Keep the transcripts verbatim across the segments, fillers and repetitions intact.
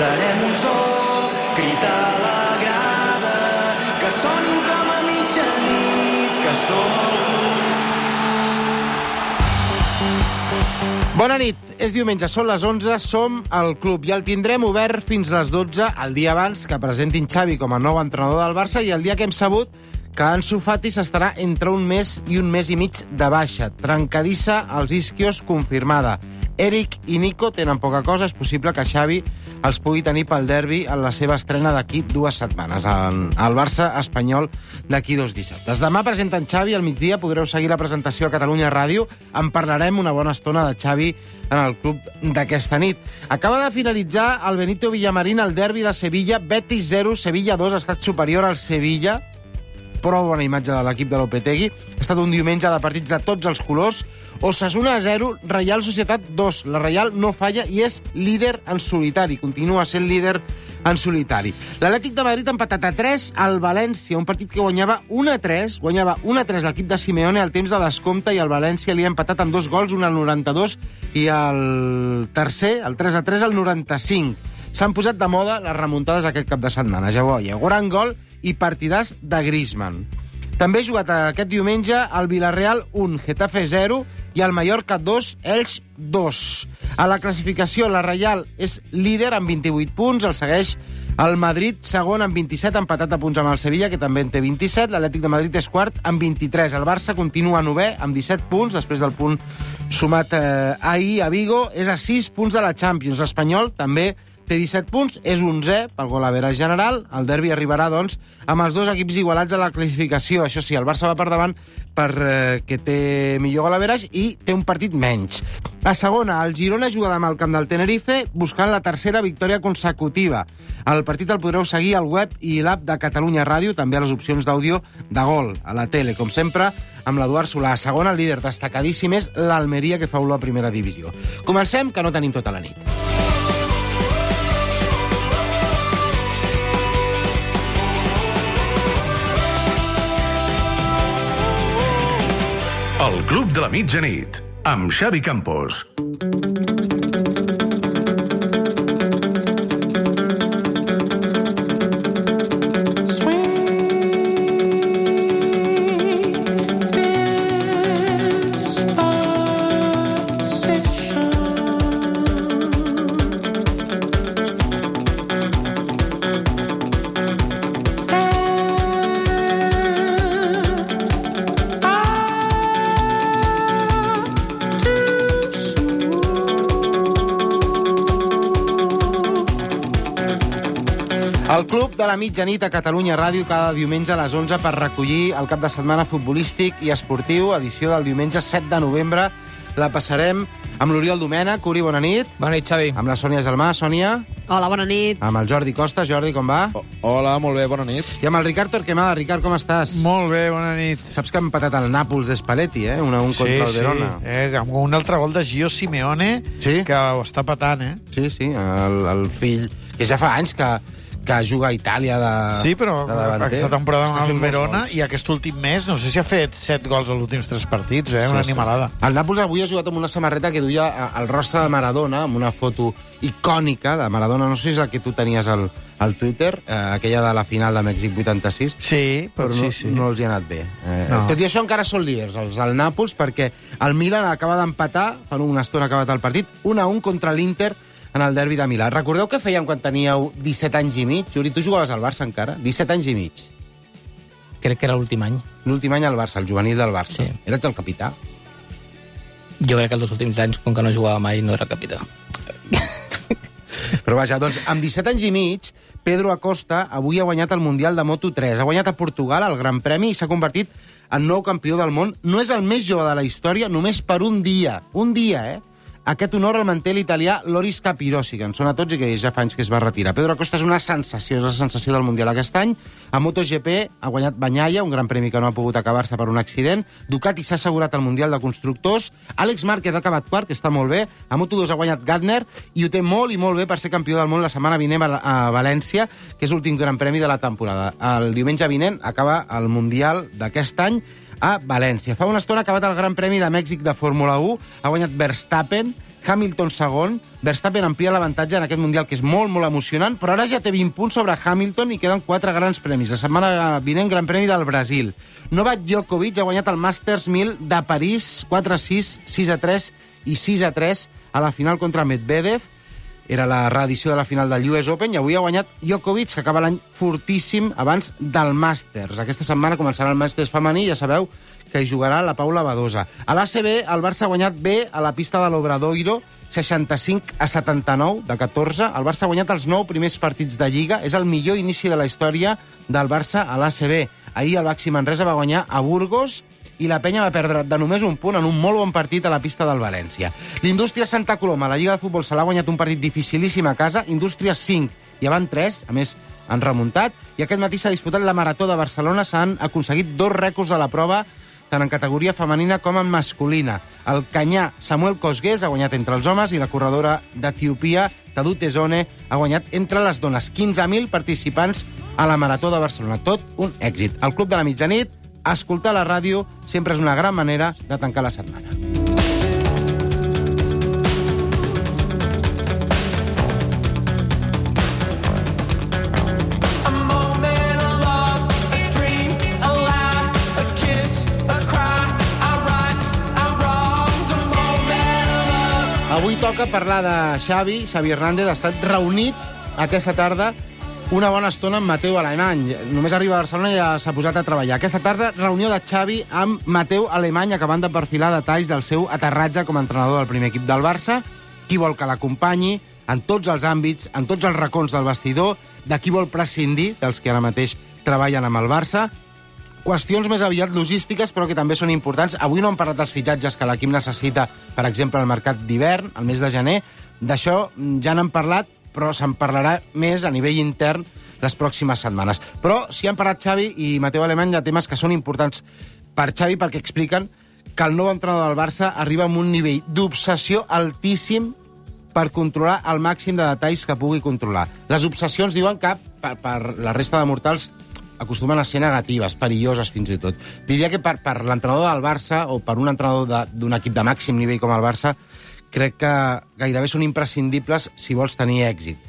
Serem un sol, cridar a la grada, que sonin com a mitjanit, que som el club. Bona nit, és diumenge, són les onze, som al club i el tindrem obert fins les dotze, el dia abans que presentin Xavi com a nou entrenador del Barça i el dia que hem sabut que Ansu Fati s'estarà entre un mes i un mes i mig de baixa. Trencadissa als isquios confirmada. Eric i Nico tenen poca cosa, és possible que Xavi els pugui tenir pel derbi en la seva estrena d'aquí dues setmanes, al Barça espanyol d'aquí dos dissabtes. Demà presenten Xavi, al migdia podreu seguir la presentació a Catalunya Ràdio. En parlarem una bona estona de Xavi en el club d'aquesta nit. Acaba de finalitzar el Benito Villamarín el derbi de Sevilla, Betis zero, Sevilla dos, ha estat superior al Sevilla. Prou bona imatge de l'equip de Lopetegui. Ha estat un diumenge de partits de tots els colors. Osasuna zero, Reial Societat dos. La Reial no falla i és líder en solitari. Continua sent líder en solitari. L'Atlètic de Madrid ha empatat a tres al València, un partit que guanyava un a tres. Guanyava un a tres l'equip de Simeone al temps de descompte i el València li ha empatat amb dos gols, un al noranta-dos i el tercer, el tres a tres, al noranta-cinc. S'han posat de moda les remuntades aquest cap de setmana. Ja ho veieu, gran gol i partidàs de Griezmann. També ha jugat aquest diumenge el Villarreal un, Getafe zero i el Mallorca dos, Elx dos. A la classificació, la Reial és líder amb vint-i-vuit punts, el segueix el Madrid segon amb vint-i-set, empatat a punts amb el Sevilla, que també en té vint-i-set. L'Atlètic de Madrid és quart amb vint-i-tres. El Barça continua novè amb disset punts, després del punt sumat eh, ahir a Vigo. És a sis punts de la Champions. L'Espanyol també té disset punts, és onzè pel gol average general. El derbi arribarà, doncs, amb els dos equips igualats a la classificació. Això sí, el Barça va per davant perquè té millor gol average i té un partit menys. A segona, el Girona juga demà al camp del Tenerife buscant la tercera victòria consecutiva. El partit el podreu seguir al web i l'app de Catalunya Ràdio, també a les opcions d'àudio de Gol, a la tele, com sempre, amb l'Eduard Solà. A segona, el líder destacadíssim és l'Almeria, que fa olor a primera divisió. Comencem, que no tenim tota la nit. El Club de la Mitjanit, amb Xavi Campos. El Club de la Mitjanit a Catalunya Ràdio cada diumenge a les onze per recollir el cap de setmana futbolístic i esportiu, edició del diumenge set de novembre. La passarem amb l'Oriol Domènech. Uri, bona nit. Bona nit, Xavi. Amb la Sònia Gelmà. Sònia. Hola, bona nit. Amb el Jordi Costa. Jordi, com va? Oh, hola, molt bé, bona nit. I amb el Ricard Torquemada. Ricard, com estàs? Molt bé, bona nit. Saps que ha empatat el Nàpols d'Spalletti, eh? un a un contra el Verona. Sí, sí. Eh, amb un altre gol de Gio Simeone, sí? Que ho està patant, eh? Sí, sí, el, el fill, que ja fa anys que que juga a Itàlia de Sí, però de davanter. Aquesta temporada amb el Verona gols. i aquest últim mes, no sé si ha fet set gols als últims tres partits, eh? Una sí, animalada. Sí. El Nàpols avui ha jugat amb una samarreta que duia el rostre de Maradona, amb una foto icònica de Maradona, no sé si és la que tu tenies al, al Twitter, eh, aquella de la final de Mèxic vuitanta-sis. Sí, però, però no, sí, sí. no els hi ha anat bé. Eh, no. Tot i això encara són líders, els del Nàpols, perquè el Milan acaba d'empatar, fa una estona acabat el partit, un a un contra l'Inter en el derbi de Milà. Recordeu què fèiem quan teníeu disset anys i mig? Juri, tu jugaves al Barça encara? disset anys i mig. Crec que era l'últim any. L'últim any al Barça, el juvenil del Barça. Sí. Eres el capità? Jo crec que els dos últims anys, com que no jugava mai, no era capità. Però vaja, doncs, amb disset anys i mig, Pedro Acosta avui ha guanyat el Mundial de Moto tres. Ha guanyat a Portugal el Gran Premi i s'ha convertit en nou campió del món. No és el més jove de la història, només per un dia. Un dia, eh? Aquest honor el manté l'italià Loris Capirossi, que en sona tots i que ja fa anys que es va retirar. Pedro Acosta és una sensació, és la sensació del Mundial aquest any. A MotoGP ha guanyat Bagnaia, un gran premi que no ha pogut acabar-se per un accident. Ducati s'ha assegurat el Mundial de Constructors. Àlex Márquez ha acabat quart, que està molt bé. A Moto dos ha guanyat Gardner i ho té molt i molt bé per ser campió del món la setmana vinent a València, que és l'últim gran premi de la temporada. El diumenge vinent acaba el Mundial d'aquest any a València. Fa una estona ha acabat el Gran Premi de Mèxic de Fórmula u, ha guanyat Verstappen Hamilton segon, Verstappen amplia l'avantatge en aquest Mundial, que és molt, molt emocionant, però ara ja té vint punts sobre Hamilton i queden quatre grans premis. La setmana vinent, Gran Premi del Brasil. Novak Djokovic ha guanyat el Masters mil de París, quatre a sis, sis a tres i sis a tres a la final contra Medvedev. Era la reedició de la final del U S Open i avui ha guanyat Djokovic, que acaba l'any fortíssim abans del Masters. Aquesta setmana començarà el Masters femení, ja sabeu que hi jugarà la Paula Badosa. A l'A C B, el Barça ha guanyat bé a la pista de l'Obradoiro, seixanta-cinc a setanta-nou, de catorze. El Barça ha guanyat els nou primers partits de Lliga. És el millor inici de la història del Barça a l'A C B. Ahir el Baxi Manresa va guanyar a Burgos i la penya va perdre de només un punt en un molt bon partit a la pista del València. L'Indústria Santa Coloma, la Lliga de Futbol, se l'ha guanyat un partit dificilíssim a casa. Indústria cinc i avant tres, a més han remuntat. I aquest matí s'ha disputat la Marató de Barcelona. S'han aconseguit dos rècords a la prova, tant en categoria femenina com en masculina. El canyà Samuel Cosgués ha guanyat entre els homes i la corredora d'Etiopia, Tadou Tezone, ha guanyat entre les dones. quinze mil participants a la Marató de Barcelona. Tot un èxit. El Club de la Mitjanit, escoltar la ràdio sempre és una gran manera de tancar la setmana. Avui toca parlar de Xavi. Xavi Hernández ha estat reunit aquesta tarda una bona estona amb Mateu Alemany. Només arriba a Barcelona i ja s'ha posat a treballar. Aquesta tarda, reunió de Xavi amb Mateu Alemany, acabant de perfilar detalls del seu aterratge com a entrenador del primer equip del Barça, qui vol que l'acompanyi en tots els àmbits, en tots els racons del vestidor, de qui vol prescindir dels que ara mateix treballen amb el Barça. Qüestions més aviat logístiques, però que també són importants. Avui no hem parlat dels fitxatges que l'equip necessita, per exemple, al mercat d'hivern, al mes de gener. D'això ja n'hem parlat, però se'n parlarà més a nivell intern les pròximes setmanes. Però sí han parlat Xavi i Mateu Alemany de temes que són importants per Xavi, perquè expliquen que el nou entrenador del Barça arriba amb un nivell d'obsessió altíssim per controlar el màxim de detalls que pugui controlar. Les obsessions diuen que per, per la resta de mortals acostumen a ser negatives, perilloses fins i tot. Diria que per, per l'entrenador del Barça o per un entrenador d'un equip de màxim nivell com el Barça, crec que gairebé són imprescindibles si vols tenir èxit.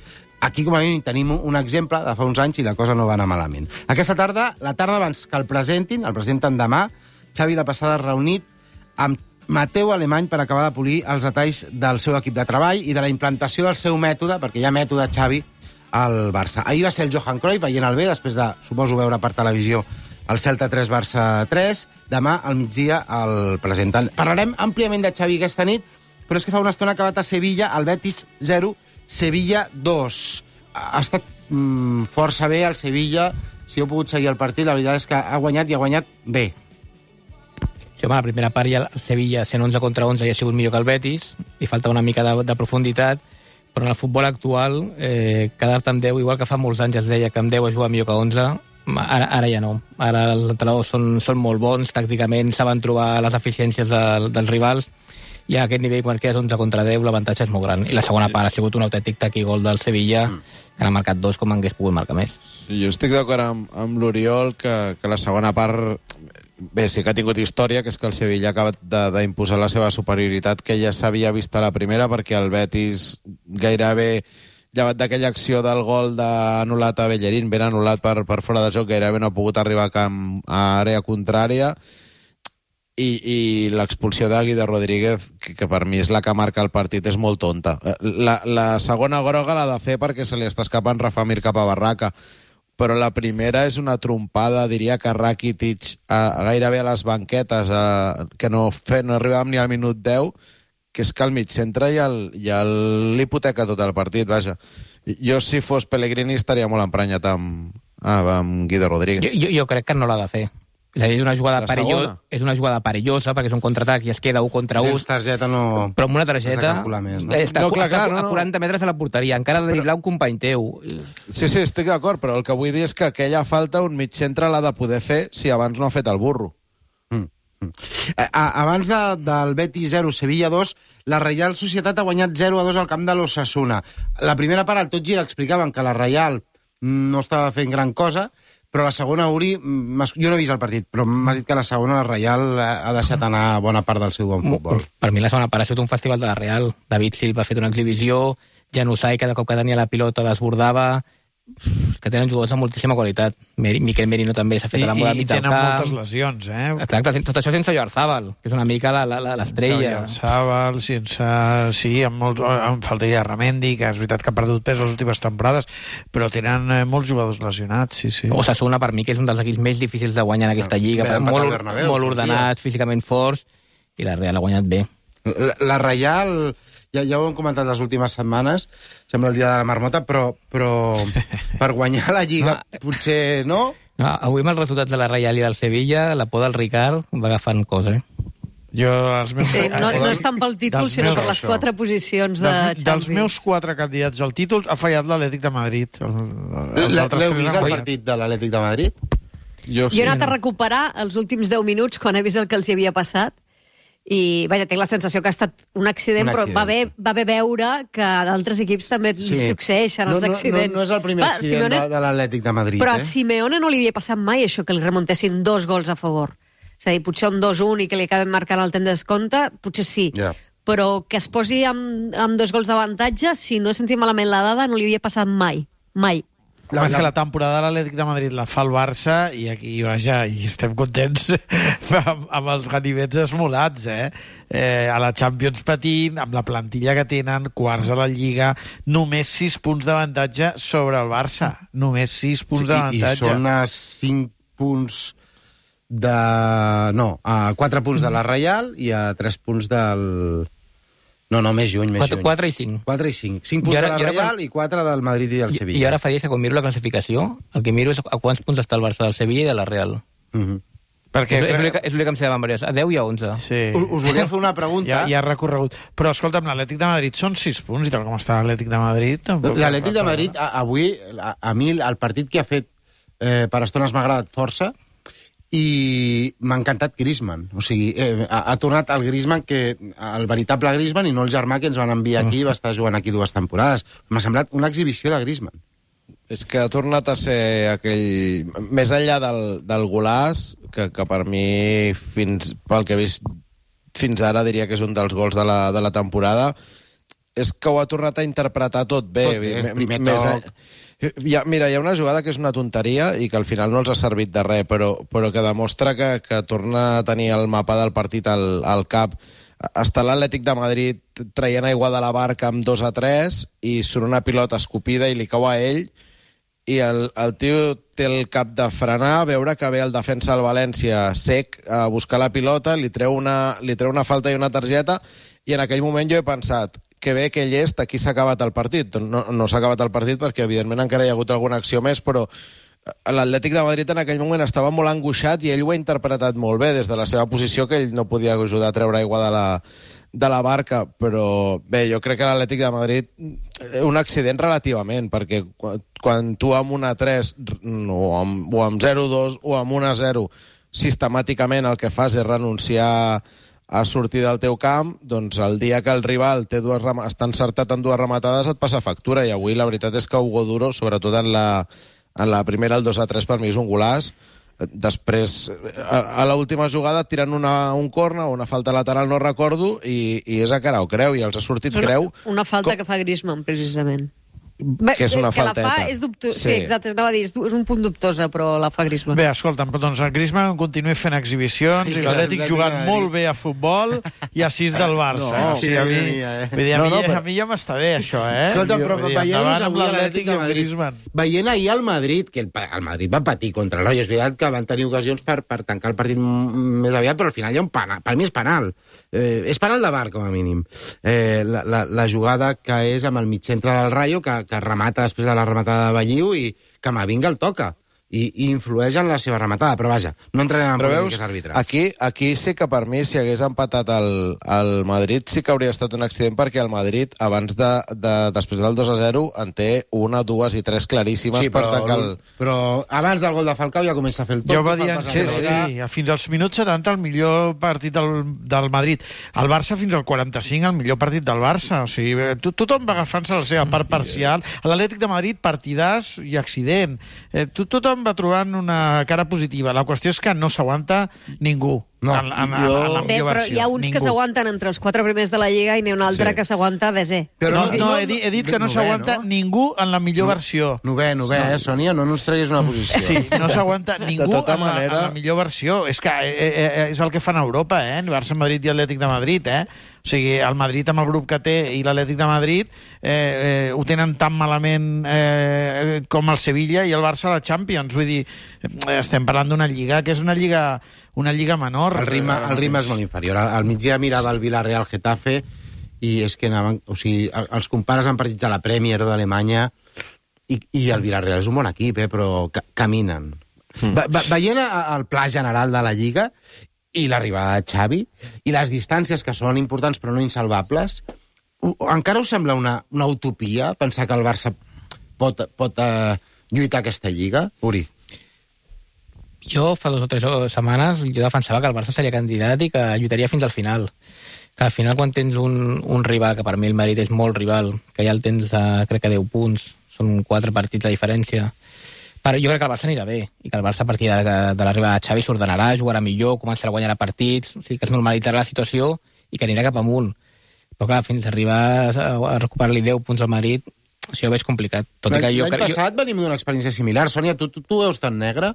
Aquí, com a mínim, tenim un exemple de fa uns anys i la cosa no va anar malament. Aquesta tarda, la tarda abans que el presentin, el presenten demà, Xavi la passada reunit amb Mateu Alemany per acabar de polir els detalls del seu equip de treball i de la implantació del seu mètode, perquè hi ha mètode Xavi al Barça. Ahir va ser el Johan Cruyff veient el bé, després de, suposo, veure per televisió el Celta tres Barça tres. Demà, al migdia, el presenten. Parlarem àmpliament de Xavi aquesta nit, però és que fa una estona ha acabat a Sevilla, el Betis zero, Sevilla dos. Ha estat mm, força bé el Sevilla. Si heu pogut seguir el partit, la veritat és que ha guanyat i ha guanyat bé. Sí, home, la primera part ja el Sevilla, sent onze contra onze, ja ha sigut millor que el Betis, li falta una mica de, de profunditat, però en el futbol actual, eh, quedar-te amb deu, igual que fa molts anys es deia que amb deu es juga millor que onze, ara, ara ja no. Ara els entrenadors són, són molt bons, tàcticament saben trobar les deficiències de, dels rivals, i a aquest nivell, quan quedes onze contra deu, l'avantatge és molt gran. I la segona part ha sigut un autèntic taquigol del Sevilla, que n'ha marcat dos com hagués pogut marcar més. Jo estic d'acord amb, amb l'Oriol que, que la segona part... Bé, sí que ha tingut història, que és que el Sevilla ha acabat d'imposar la seva superioritat, que ja s'havia vist a la primera, perquè el Betis gairebé, llevat d'aquella acció del gol anul·lat a Bellerín, ben anul·lat per, per fora de joc, gairebé no ha pogut arribar a, camp, a àrea contrària, i, i l'expulsió d'Agui de Rodríguez, que, que per mi és la que marca el partit, és molt tonta. La, la segona groga l'ha de fer perquè se li està escapant Rafa Mir cap a Barraca, però la primera és una trompada, diria que Rakitic, a, a gairebé a les banquetes, a, que no, fe, no arribàvem ni al minut deu, que és que al mig centre ja l'hipoteca tot el partit, vaja. Jo, si fos Pellegrini, estaria molt emprenyat amb, amb Guido Rodríguez. Jo, jo, jo crec que no l'ha de fer. És a dir, és una jugada perillosa, és una jugada perillosa perquè és un contraatac i es queda un contra un. Tens targeta, no... Però amb una targeta més, no? està, no, clar, està clar, no, a quaranta metres de la porteria, encara ha de driblar un company teu. Sí, sí, estic d'acord, però el que vull dir és que aquella falta un mig centre l'ha de poder fer si abans no ha fet el burro. Mm. Mm. Abans de, del Betis zero, Sevilla dos, la Reial Societat ha guanyat zero a dos al camp de l'Osasuna. La primera part, al Tot Gira, explicaven que la Reial no estava fent gran cosa, però la segona, Uri, m'has- jo no he vist el partit, però m'has dit que la segona, la Reial, ha ha deixat anar bona part del seu bon futbol. Per mi la segona part ha sigut un festival de la Real. David Silva ha fet una exhibició, Januzaj cada cop que tenia la pilota desbordava, que tenen jugadors amb moltíssima qualitat. Mer- Miquel Merino també s'ha fet I, a la moda i mig del tenen camp. moltes lesions, eh? Exacte, tot això sense Joarzábal, que és una mica la- la- la- l'estrella. Sense Sàbal, sense... Sí, amb, molt, amb faltaria Ramendi, que és veritat que ha perdut pes les últimes temporades, però tenen eh, molts jugadors lesionats, sí, sí. Osasuna, per mi, que és un dels equips més difícils de guanyar en aquesta lliga, Bé, però empatar molt, al or- Bernabéu, molt fa ordenats, dies. físicament forts, i la Real ha guanyat bé. La, la Reial, ja, ja ho hem comentat les últimes setmanes, sembla el dia de la marmota, però, però per guanyar la Lliga potser no? No, avui amb els resultats de la Real i del Sevilla, la por del Ricard va agafant cosa, eh? Jo, els meus... Sí, no, no és tant pel títol, Dels sinó meus- per les això. quatre posicions de dels, Champions. dels meus quatre candidats al títol ha fallat l'Atlètic de Madrid. El, els L'heu altres tres vist, han el guanyat. partit de l'Atlètic de Madrid? Jo Jo he anat a recuperar els últims deu minuts quan he vist el que els hi havia passat i, vaja, tinc la sensació que ha estat un accident, Un però accident, va haver, va haver veure que a d'altres equips també li succeeixen no, els no, accidents. No, no és el primer Va, accident Simeone- de, de l'Atlètic de Madrid, Però a eh? Simeone no li havia passat mai això, que li remuntessin dos gols a favor. És a dir, potser un dos un i que li acaben marcant el temps de descompte, potser sí. Ja. Però que es posi amb, amb dos gols d'avantatge, si no he sentit malament la dada, no li havia passat mai. Mai. La, és que la temporada de l'Atlètic de Madrid la fa el Barça i aquí, vaja, i estem contents amb, amb els ganivets esmolats, eh? eh? A la Champions patint, amb la plantilla que tenen, quarts a la Lliga, només sis punts d'avantatge sobre el Barça. Només sis punts Sí, i, I d'avantatge. són a cinc punts de... No, a quatre punts de la Reial i a tres punts del... No, no, més lluny, més lluny. quatre i cinc. quatre i cinc. cinc punts I ara- de la i ara Reial quan- i quatre del Madrid i del I, Sevilla. I ara fa dies que quan miro la classificació, el que miro és a quants punts està el Barça del Sevilla i de la Real. Mhm. Perquè, És, és l'únic és l'únic que em sé de memòria. A deu i a onze. Sí. Us, us volia fer una pregunta. Ja, ja ha recorregut. Però, escolta'm, l'Atlètic de Madrid són sis punts, i tal com està l'Atlètic de Madrid... tampoc- L'Atlètic de Madrid, a, avui, a, a mi el partit que ha fet eh, per estones m'ha agradat força i m'ha encantat Griezmann. O sigui, eh, ha, ha tornat el Griezmann, que, el veritable Griezmann, i no el germà que ens van enviar aquí i va estar jugant aquí dues temporades. M'ha semblat una exhibició de Griezmann. És que ha tornat a ser aquell... Més enllà del, del golàs, que, que per mi, fins, pel que he vist fins ara, diria que és un dels gols de la, de la temporada, és que ho ha tornat a interpretar tot bé. Tot bé, M- primer més toc. en- Hi ha, mira, hi ha una jugada que és una tonteria i que al final no els ha servit de res, però, però que demostra que, que torna a tenir el mapa del partit al, al cap. Està l'Atlètic de Madrid traient aigua de la barca amb dos a tres i surt una pilota escopida i li cau a ell i el, el tio té el cap de frenar, veure que ve el defensa del València sec a buscar la pilota, li treu una, li treu una falta i una targeta, i en aquell moment jo he pensat que bé que llest, aquí s'ha acabat el partit. No, no s'ha acabat el partit perquè, evidentment, encara hi ha hagut alguna acció més, però l'Atlètic de Madrid en aquell moment estava molt angoixat i ell ho ha interpretat molt bé des de la seva posició, que ell no podia ajudar a treure aigua de la, de la barca, però bé, jo crec que l'Atlètic de Madrid un accident relativament, perquè quan, quan tu amb un a tres o amb, o amb zero a dos o amb un a zero sistemàticament el que fas és renunciar a sortir del teu camp, doncs el dia que el rival té dues rem... està encertat en dues rematades et passa factura, i avui la veritat és que Hugo Duro, sobretot en la, en la primera, el dos a tres per mi és un golaç. Després, a, a l'última jugada tiren una, un corna o una falta lateral, no recordo, i, i és a cara o creu, i els ha sortit Una, creu. una falta Com- que fa Griezmann, precisament. Que és una que la falteta. fa és dubtosa. Sí. Sí. sí, exacte, anava a dir, és, du- és un punt dubtosa, però la fa Griezmann. Bé, escolta'm, doncs el Griezmann continua fent exhibicions i l'Atlètic jugant molt bé a futbol i a sis del Barça. No, o sigui, a mi, sí, eh. vull dir, a, No, mi, no, però- a mi ja m'està bé, això, eh? Escolta, però Vull dir, veient-los endavant amb avui a l'Atlètic l'Atlètic de amb Madrid, Griezmann. veient ahir el Madrid, que el, pa- el Madrid va patir contra el Rayo, és veritat que van tenir ocasions per, per tancar el partit m- més aviat, però al final hi ha un penal, per mi és penal. Eh, és penal de bar, com a mínim. Eh, la, la, la jugada que és amb el mig centre del Rayo, que, que remata després de la rematada de Balliu i Camavinga el toca. I, i influeix en la seva rematada, però vaja, no entrarem en Però veus, polítiques arbitrals. aquí, aquí sí que per mi, si hagués empatat el, el Madrid, sí que hauria estat un accident, perquè el Madrid, abans de, de després del dos a zero, en té una, dues i tres claríssimes Sí, per però, tancar el... però abans del gol de Falcao ja comença a fer el tot. Jo va dir, sí, sí, sí. fins als minuts setanta el millor partit del, del Madrid. El Barça fins al quaranta-cinc el millor partit del Barça. O sigui, to, tothom va agafant-se la seva part parcial. L'Atlètic de Madrid, partidàs i accident. Eh, to, tothom tothom va trobant una cara positiva. La qüestió és que no s'aguanta ningú. No, en, en, jo... en la Bé, millor però versió. hi ha uns ningú. que s'aguanten entre els quatre primers de la Lliga i n'hi ha un altre Sí. que s'aguanta desè. Però No, no, he, dit, he dit que no novè, s'aguanta no? ningú en la millor versió. Novè, novè, eh, Sònia? No ens treguis una posició. Sí, no s'aguanta ningú tota en, la, manera- en la millor versió. És que eh, eh, és el que fan a Europa, eh? Barça, Madrid i Atlètic de Madrid, eh? O sigui, el Madrid amb el grup que té i l'Atlètic de Madrid eh, eh, ho tenen tan malament eh, com el Sevilla i el Barça a la Champions. Vull dir, eh, estem parlant d'una lliga que és una lliga una lliga menor. El ritme, el ritme és molt inferior. Al migdia mirava el Villarreal Getafe i és que anaven... O sigui, els compares amb partits de la Premier o d'Alemanya i, i el Villarreal és un bon equip, eh, però ca caminen. Mm. Ve, ve, veient a, el pla general de la Lliga i l'arribada de Xavi i les distàncies que són importants però no insalvables, u, encara us sembla una, una utopia pensar que el Barça pot, pot uh, lluitar aquesta Lliga? Uri. Jo, fa dos o tres setmanes, jo defensava que el Barça seria candidat i que lluitaria fins al final. Que al final, quan tens un, un rival, que per mi el Madrid és molt rival, que ja el tens a, crec que deu punts, són quatre partits de diferència, però jo crec que el Barça anirà bé, i que el Barça a partir de, de, de l'arribada de Xavi s'ordenarà, jugarà millor, començarà a guanyar partits, o sigui que es normalitzarà la situació i que anirà cap amunt. Però clar, fins a arribar a, a recuperar-li deu punts al Madrid, això ho veig complicat. Tot i que jo L'any crec... passat jo... venim d'una experiència similar. Sònia, tu, tu, tu veus tan negre?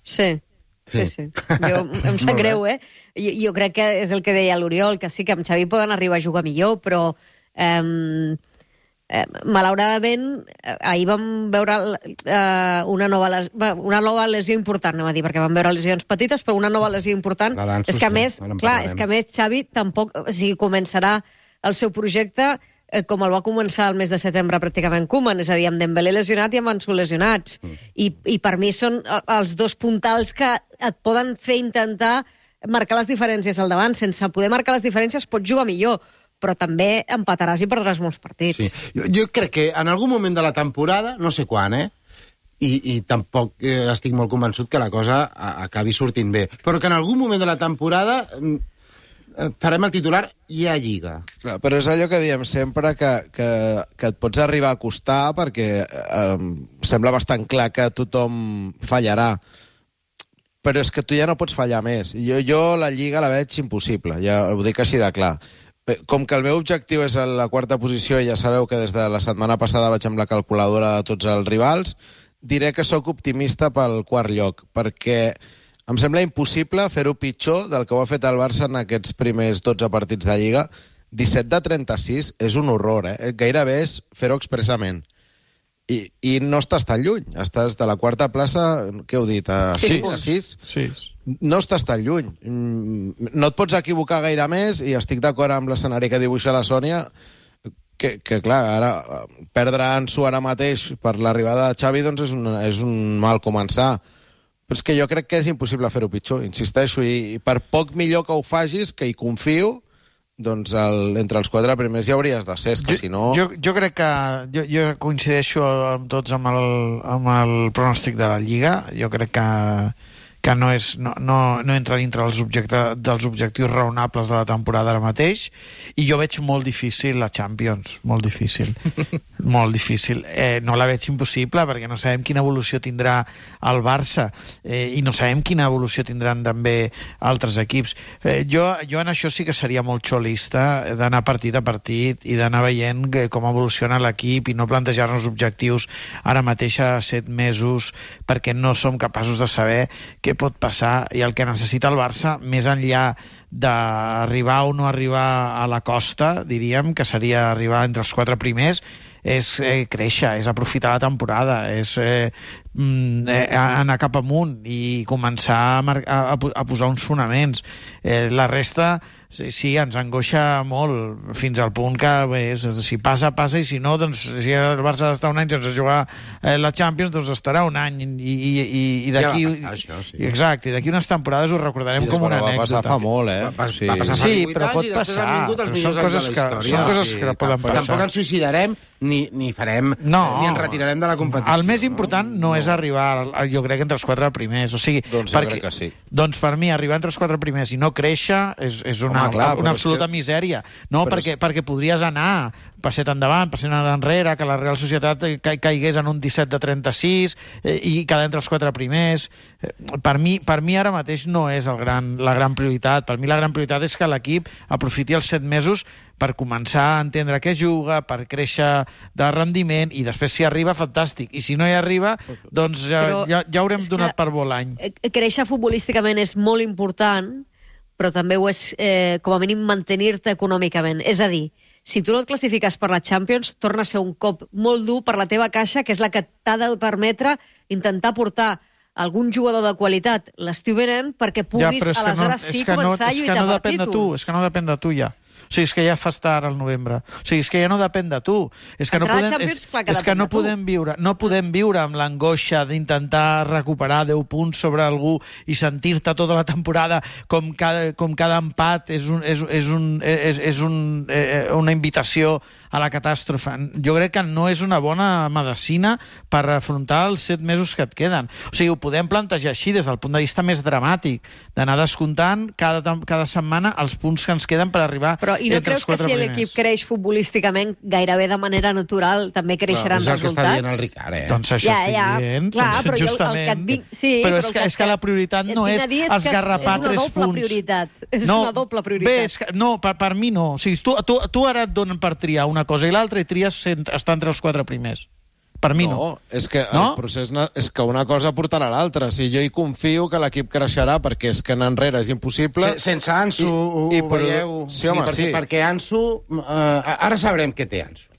Sí. Sí, Sí. sí. Jo, em sap Molt greu, eh? Jo, jo crec que és el que deia l'Oriol, que sí que amb Xavi poden arribar a jugar millor, però eh, eh, malauradament eh, ahir vam veure eh, una, nova les, una nova lesió important, anem a dir, perquè vam veure lesions petites, però una nova lesió important. La d'Ansu, És que a sí, més, ara en clar, parlarem. és que a més Xavi tampoc, o sigui, començarà el seu projecte eh, com el va començar el mes de setembre pràcticament Koeman, és a dir, amb Dembélé lesionat i amb Ansu lesionats. Mm. I, I per mi són eh, els dos puntals que et poden fer intentar marcar les diferències al davant. Sense poder marcar les diferències pots jugar millor, però també empataràs i perdràs molts partits. Sí. Jo, jo crec que en algun moment de la temporada, no sé quan, eh? I, i tampoc eh, estic molt convençut que la cosa a, acabi sortint bé. Però que en algun moment de la temporada mm, eh, farem el titular i a Lliga. Clar, però és allò que diem sempre, que, que, que et pots arribar a acostar perquè eh, sembla bastant clar que tothom fallarà. Però és que tu ja no pots fallar més. Jo, jo la Lliga la veig impossible, ja ho dic així de clar. Com que el meu objectiu és a la quarta posició, i ja sabeu que des de la setmana passada vaig amb la calculadora de tots els rivals, diré que sóc optimista pel quart lloc, perquè em sembla impossible fer-ho pitjor del que ho ha fet el Barça en aquests primers dotze partits de Lliga. disset de trenta-sis és un horror, eh? Gairebé és fer-ho expressament. I, I no estàs tan lluny. Estàs de la quarta plaça, què heu dit, a sis? A sis? Sí. No estàs tan lluny. No et pots equivocar gaire més, i estic d'acord amb l'escenari que dibuixa la Sònia, que, que clar, ara perdre Ansu ara mateix per l'arribada de Xavi doncs és un, és un mal començar. Però és que jo crec que és impossible fer-ho pitjor, insisteixo, i, i per poc millor que ho facis, que hi confio, doncs el, entre els quatre primers ja hauries de ser, és que jo, si no... Jo, jo crec que... Jo, jo coincideixo amb tots amb el, amb el pronòstic de la Lliga. Jo crec que, que no, és, no, no, no entra dintre dels, objecte, dels objectius raonables de la temporada ara mateix, i jo veig molt difícil la Champions, molt difícil. Molt difícil. Eh, no la veig impossible, perquè no sabem quina evolució tindrà el Barça, eh, i no sabem quina evolució tindran també altres equips. Eh, jo, jo en això sí que seria molt xolista, d'anar partit a partit i d'anar veient que, com evoluciona l'equip, i no plantejar-nos objectius ara mateix a set mesos, perquè no som capaços de saber què pot passar, i el que necessita el Barça, més enllà d'arribar o no arribar a la costa, diríem, que seria arribar entre els quatre primers, és eh, créixer, és aprofitar la temporada, és eh, eh, anar cap amunt i començar a, a, a posar uns fonaments. Eh, la resta, sí, sí, ens angoixa molt, fins al punt que bé, si passa, passa, i si no, doncs si el Barça ha d'estar un any sense jugar eh, la Champions, doncs estarà un any, i, i, i, i d'aquí... Ja va passar, això, sí. Exacte, i d'aquí unes temporades ho recordarem com una va anècdota. passar fa molt, eh? Va, Sí. va passar fa Sí, divuit però anys pot i després passar. han vingut els Són millors anys coses de la que- història. són coses que poden tampoc, passar. Tampoc ens suïcidarem ni, ni farem No. ni ens retirarem de la competició. El més important no és és arribar, jo crec, entre els quatre primers. O sigui, Doncs jo perquè, crec que sí. Doncs per mi, arribar entre els quatre primers i no créixer és, és una, Home, clar, una però és absoluta que- misèria. No, però perquè, és- perquè podries anar passet endavant, passet enrere, que la Real Societat ca caigués en un disset de trenta-sis eh, i quedar entre els quatre primers. Eh, per, mi, per mi ara mateix no és el gran, la gran prioritat. Per mi la gran prioritat és que l'equip aprofiti els set mesos per començar a entendre què juga, per créixer de rendiment, i després si arriba, fantàstic. I si no hi arriba, doncs ja, Però ja, ja haurem és que- donat per bo l'any. Eh, Créixer futbolísticament és molt important, però també ho és, eh, com a mínim, mantenir-te econòmicament. És a dir, si tu no et classifiques per la Champions, torna a ser un cop molt dur per la teva caixa, que és la que t'ha de permetre intentar portar algun jugador de qualitat l'estiu venent perquè puguis, però és que aleshores no, sí, és que no, començar a és que lluitar no per depèn de tu, títols. és que no depèn de tu ja. O sigui, és que ja fas tard al novembre. O sigui, és que ja no depèn de tu. És que no Entrar a podem, Champions, és, clar que és que depèn no de tu. podem viure, no podem viure amb l'angoixa d'intentar recuperar deu punts sobre algú i sentir-te tota la temporada com cada, com cada empat és, un, és, és, un, és, és un, eh, una invitació a la catàstrofe. Jo crec que no és una bona medicina per afrontar els set mesos que et queden. O sigui, ho podem plantejar així des del punt de vista més dramàtic, d'anar descomptant cada, cada setmana els punts que ens queden per arribar Però i no entre creus els que quatre si primers. l'equip creix futbolísticament gairebé de manera natural també creixeran és el que està dient el resultats? Ricard, eh? Doncs això Ja, estic ja, dient. clar, doncs, però jo el- el justament. que et vinc- sí, però, però és, el que, que- és que la prioritat et no vinc és a dir és que és- esgarrapar és una tres doble punts. prioritat. És una doble prioritat. Bé, és que, no, per, per mi no. O sigui, tu, tu, tu ara et donen per triar una cosa i l'altra i tries cent, estar entre els quatre primers. Per mi no. No, és que No? el procés na- és que una cosa portarà a l'altra. Si jo hi confio que l'equip creixerà perquè és que anar enrere és impossible. Se- Sense Ansu, ho, I- i ho per- veieu? Sí, home, perquè, sí. Perquè Ansu... Eh, ara sabrem què té Ansu.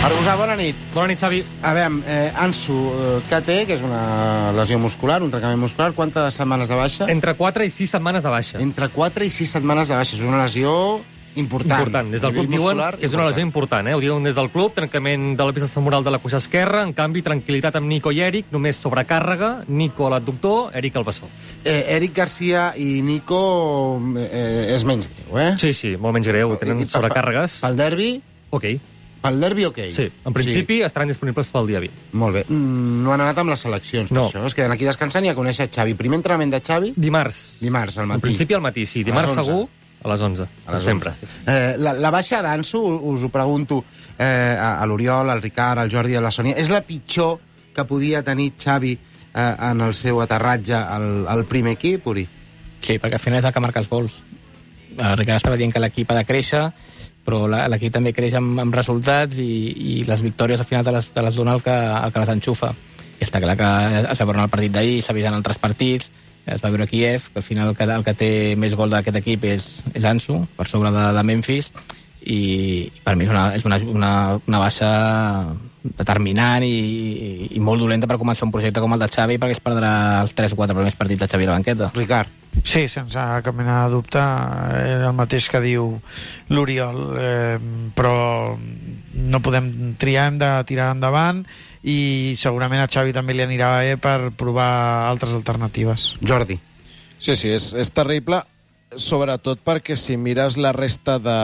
Argusà, bona nit. Bona nit, Xavi. A veure, eh, Ansu, eh, què té? Que és una lesió muscular, un trencament muscular. Quantes setmanes de baixa? Entre quatre i sis setmanes de baixa. Entre quatre i sis setmanes de baixa. És una lesió important. Important. Des del A nivell club diuen muscular, que és una lesió important, eh? Ho diuen des del club, trencament de la peça femoral de la cuixa esquerra, en canvi, tranquil·litat amb Nico i Eric, només sobrecàrrega, Nico a l'adductor, Eric al bessó. Eh, Eric Garcia i Nico eh, és menys greu, eh? Sí, sí, molt menys greu, tenen I- i- sobrecàrregues. Pel derbi, Ok, pel derbi, ok. sí, en principi estaran disponibles pel dia vint. Molt bé. Mm, no han anat amb les seleccions, No. per això. Es queden aquí descansant i a conèixer Xavi. Primer entrenament de Xavi, Dimarts. dimarts, al matí. En principi al matí, sí. A Dimarts les onze. segur, a les onze. A les sempre. onze. Eh, la, la baixa d'Ansu, us ho pregunto eh, a, a l'Oriol, al Ricard, al Jordi i a la Sònia, és la pitjor que podia tenir Xavi eh, en el seu aterratge al, al primer equip, Uri? Sí, perquè al final és el que marca els gols. El Ricard estava dient que l'equip ha de créixer, però la- l'equip també creix amb, amb resultats i, i les victòries al final te les, te les dona el que, el que les enxufa. I està clar que es va veure en el partit d'ahir, s'ha vist en altres partits, es va veure a Kiev, que al final el que, el que té més gol d'aquest equip és, és Ansu, per sobre de, de Memphis, i per mi és una, és una, una, una baixa determinant i, i molt dolenta per començar un projecte com el de Xavi, perquè es perdrà els tres o quatre primers partits de Xavi a la banqueta. Ricard. Sí, sense cap mena de dubte, eh, el mateix que diu l'Oriol, eh, però no podem triar, hem de tirar endavant i segurament a Xavi també li anirà bé per provar altres alternatives. Jordi. Sí, sí, és, és terrible, sobretot perquè si mires la resta de...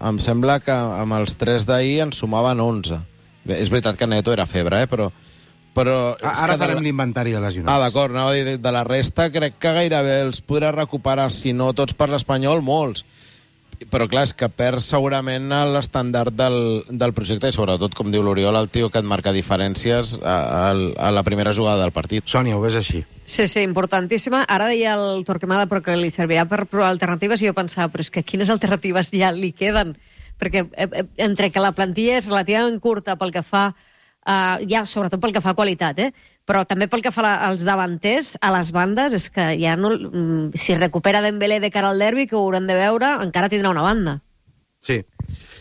Em sembla que amb els tres d'ahir en sumaven onze. Bé, és veritat que Neto era febre, eh? però... però és Ara que de farem la- l'inventari de lesionats. Ah, d'acord, anava a dir, de, de la resta crec que gairebé els podrà recuperar, si no tots per l'Espanyol, molts. Però clar, és que perd segurament l'estàndard del, del projecte i sobretot, com diu l'Oriol, el tio que et marca diferències a, a, a la primera jugada del partit. Sònia, ho ves així? Sí, sí, importantíssima. Ara deia el Torquemada però que li servirà per provar alternatives i jo pensava, però és que quines alternatives ja li queden? Perquè eh, eh, entre que la plantilla és relativament curta pel que fa, eh, ja sobretot pel que fa a qualitat, eh? Però també pel que fa la, als davanters, a les bandes, és que ja no... mm, Si recupera Dembélé de cara al derbi, que ho haurem de veure, encara tindrà una banda. Sí.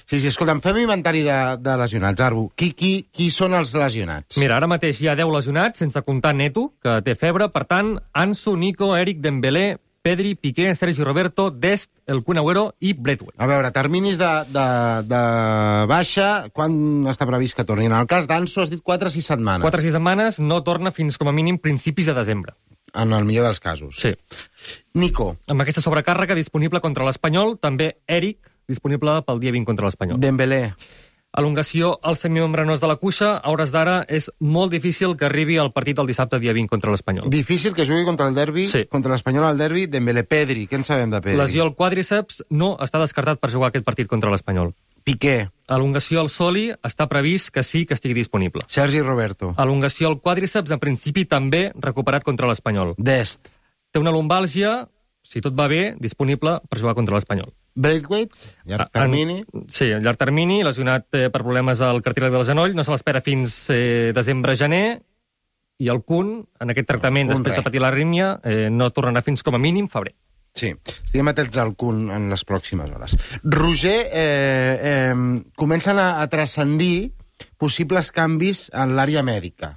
Sí, sí, escolta'm, fem inventari de, de lesionats. Arbu, qui, qui, qui són els lesionats? Mira, ara mateix hi ha deu lesionats, sense comptar Neto, que té febre. Per tant, Ansu, Nico, Eric, Dembélé, Pedri, Piqué, Sergi Roberto, Dest, el Kun Agüero i Braithwaite. A veure, terminis de, de, de baixa, quan està previst que tornin? En el cas d'Ansu has dit quatre o sis setmanes. Quatre o sis setmanes, no torna fins com a mínim principis de desembre. En el millor dels casos. Sí. Nico. Amb aquesta sobrecàrrega disponible contra l'Espanyol, també Eric, disponible pel dia vint contra l'Espanyol. Dembélé. Elongació al semimembranós de la cuixa, a hores d'ara és molt difícil que arribi al partit del dissabte dia vint contra l'Espanyol. Difícil que jugui contra el derbi, Sí. contra l'Espanyol al derbi, Dembélé. Pedri, què en sabem de Pedri? Lesió al quàdriceps no està descartat per jugar aquest partit contra l'Espanyol. Piqué. Elongació al soli està previst que sí que estigui disponible. Sergi Roberto. Elongació al quàdriceps, en principi també recuperat contra l'Espanyol. Dest. Té una lumbàlgia, si tot va bé, disponible per jugar contra l'Espanyol. Braithwaite, llarg termini. En, sí, a llarg termini, lesionat eh, per problemes al cartílag del genoll, no se l'espera fins eh, desembre-gener, i el Kun, en aquest tractament, Kun, després res. de patir l'arrítmia, eh, no tornarà fins com a mínim febrer. Sí, estiguem atents al Kun en les pròximes hores. Roger, eh, eh, comencen a, a transcendir possibles canvis en l'àrea mèdica.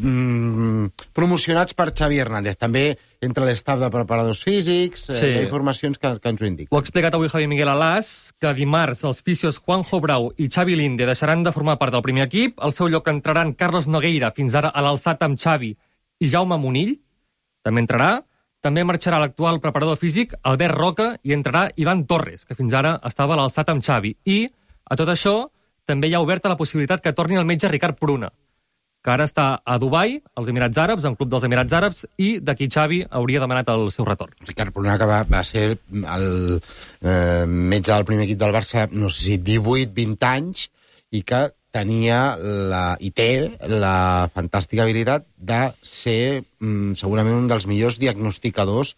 Mm, promocionats per Xavi Hernández. També entre l'estaf de preparadors físics, eh, Sí. hi ha informacions que, que ens ho indiquen. Ho ha explicat avui Javi Miguel Alàs, que dimarts els fisios Juanjo Brau i Xavi Linde deixaran de formar part del primer equip. Al seu lloc entraran Carlos Nogueira, fins ara a l'alçat amb Xavi, i Jaume Munill, també entrarà. També marxarà l'actual preparador físic, Albert Roca, i entrarà Ivan Torres, que fins ara estava a l'alçat amb Xavi. I, a tot això, també hi ha oberta la possibilitat que torni el metge Ricard Pruna, que ara està a Dubai, als Emirats Àrabs, en club dels Emirats Àrabs, i d'aquí Xavi hauria demanat el seu retorn. Ricard Pruna, que va, va ser el eh, metge del primer equip del Barça, no sé si divuit vint anys, i que tenia la, i té la fantàstica habilitat de ser mm, segurament un dels millors diagnosticadors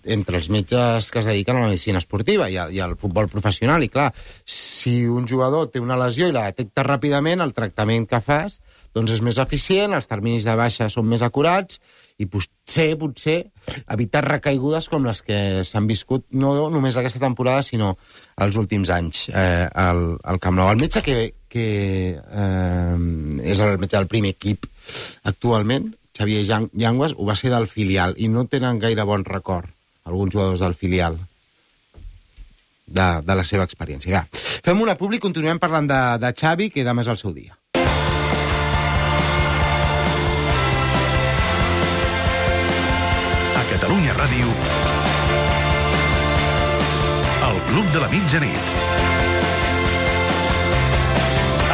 entre els metges que es dediquen a la medicina esportiva i, a, i al futbol professional. I clar, si un jugador té una lesió i la detecta ràpidament, el tractament que fas doncs és més eficient, els terminis de baixa són més acurats i potser, potser, evitar recaigudes com les que s'han viscut no només aquesta temporada, sinó els últims anys eh, al, al Camp Nou. El metge que, que eh, és el metge del primer equip actualment, Xavier Llanguas, ho va ser del filial i no tenen gaire bon record alguns jugadors del filial de, de la seva experiència. Ja. Fem una publi, continuem parlant de, de Xavi, que demà és el seu dia. A Catalunya Ràdio, el Club de la Mitjanit,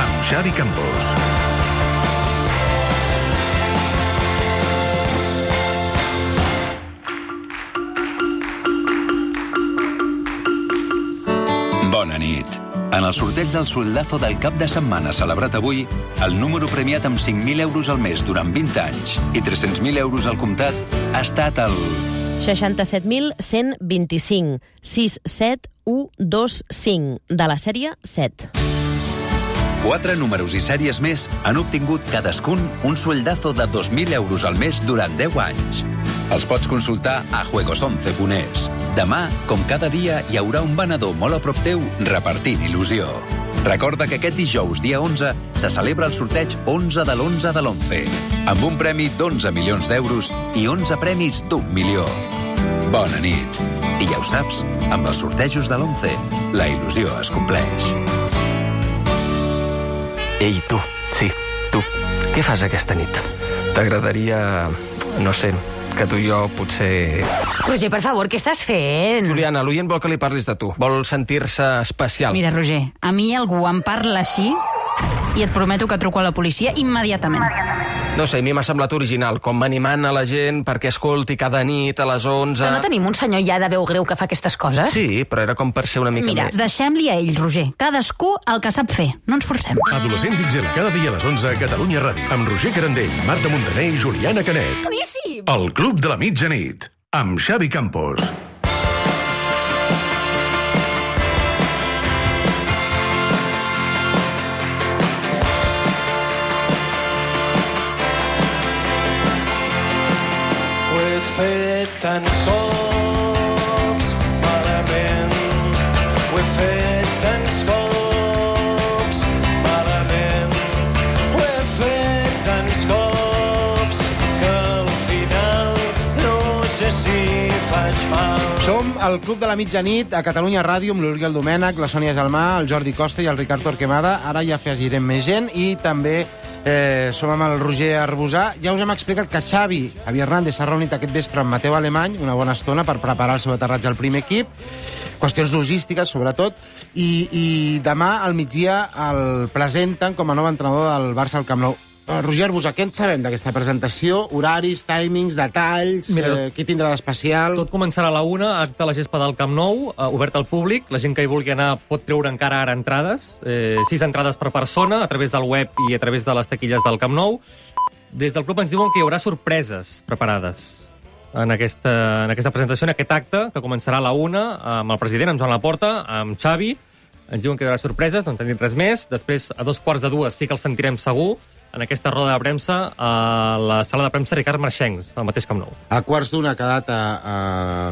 amb Xavi Campos. Bona nit. En el sorteig del soldazo del cap de setmana celebrat avui, el número premiat amb cinc mil euros al mes durant vint anys i tres-cents mil euros al comptat ha estat el... seixanta-set mil cent vint-i-cinc, sis set u dos cinc, de la sèrie set. Quatre números i sèries més han obtingut cadascun un sueldazo de dos mil euros al mes durant deu anys. Els pots consultar a juegos once punt es. Demà, com cada dia, hi haurà un venedor molt a prop teu repartint il·lusió. Recorda que aquest dijous, dia onze, se celebra el sorteig onze de l'onze de l'onze, amb un premi d'onze milions d'euros i onze premis d'un milió. Bona nit. I ja ho saps, amb els sortejos de l'onze, la il·lusió es compleix. Ei, tu, sí, tu, què fas aquesta nit? T'agradaria, no sé, que tu i jo potser... Roger, per favor, què estàs fent? Juliana, l'oient vol que li parlis de tu. Vol sentir-se especial. Mira, Roger, a mi algú em parla així i et prometo que truco a la policia immediatament. No sé, a mi m'ha semblat original, com animant a la gent perquè escolti cada nit a les onze... Però no tenim un senyor ja de veu greu que fa aquestes coses? Sí, però era com per ser una mica Mira, més. deixem-li a ell, Roger. Cadascú el que sap fer. No ens forcem. Adolescents X L, cada dia a les onze a Catalunya Ràdio, amb Roger Carandell, Marta Montaner i Juliana Canet. Boníssim! El Club de la Mitjanit, amb Xavi Campos. fet tants cops malament, ho he fet tants cops malament, ho he fet tants cops que al final no sé si faig mal. Som al Club de la Mitjanit a Catalunya Ràdio amb l'Oriol Domènech, la Sònia Gelmà, el Jordi Costa i el Ricard Torquemada. Ara ja afegirem més gent i també Eh, som amb el Roger Arbusà. Ja us hem explicat que Xavi, Xavi Hernández, s'ha reunit aquest vespre amb Mateu Alemany una bona estona per preparar el seu aterratge al primer equip. Qüestions logístiques, sobretot. I, i demà, al migdia, el presenten com a nou entrenador del Barça al Camp Nou. Uh, Roger Arbusà, què en sabem d'aquesta presentació? Horaris, timings, detalls, Mira, eh, què tindrà d'especial? Tot començarà a la una, acte a la gespa del Camp Nou, eh, obert al públic. La gent que hi vulgui anar pot treure encara ara entrades. Eh, sis entrades per persona, a través del web i a través de les taquilles del Camp Nou. Des del club ens diuen que hi haurà sorpreses preparades en aquesta, en aquesta presentació, en aquest acte, que començarà a la una, amb el president, amb Joan Laporta, amb Xavi. Ens diuen que hi haurà sorpreses, no en tenim res més. Després, a dos quarts de dues, sí que els sentirem segur, en aquesta roda de premsa a la sala de premsa Ricard Marxencs, al mateix Camp Nou. A quarts d'una ha quedat a, a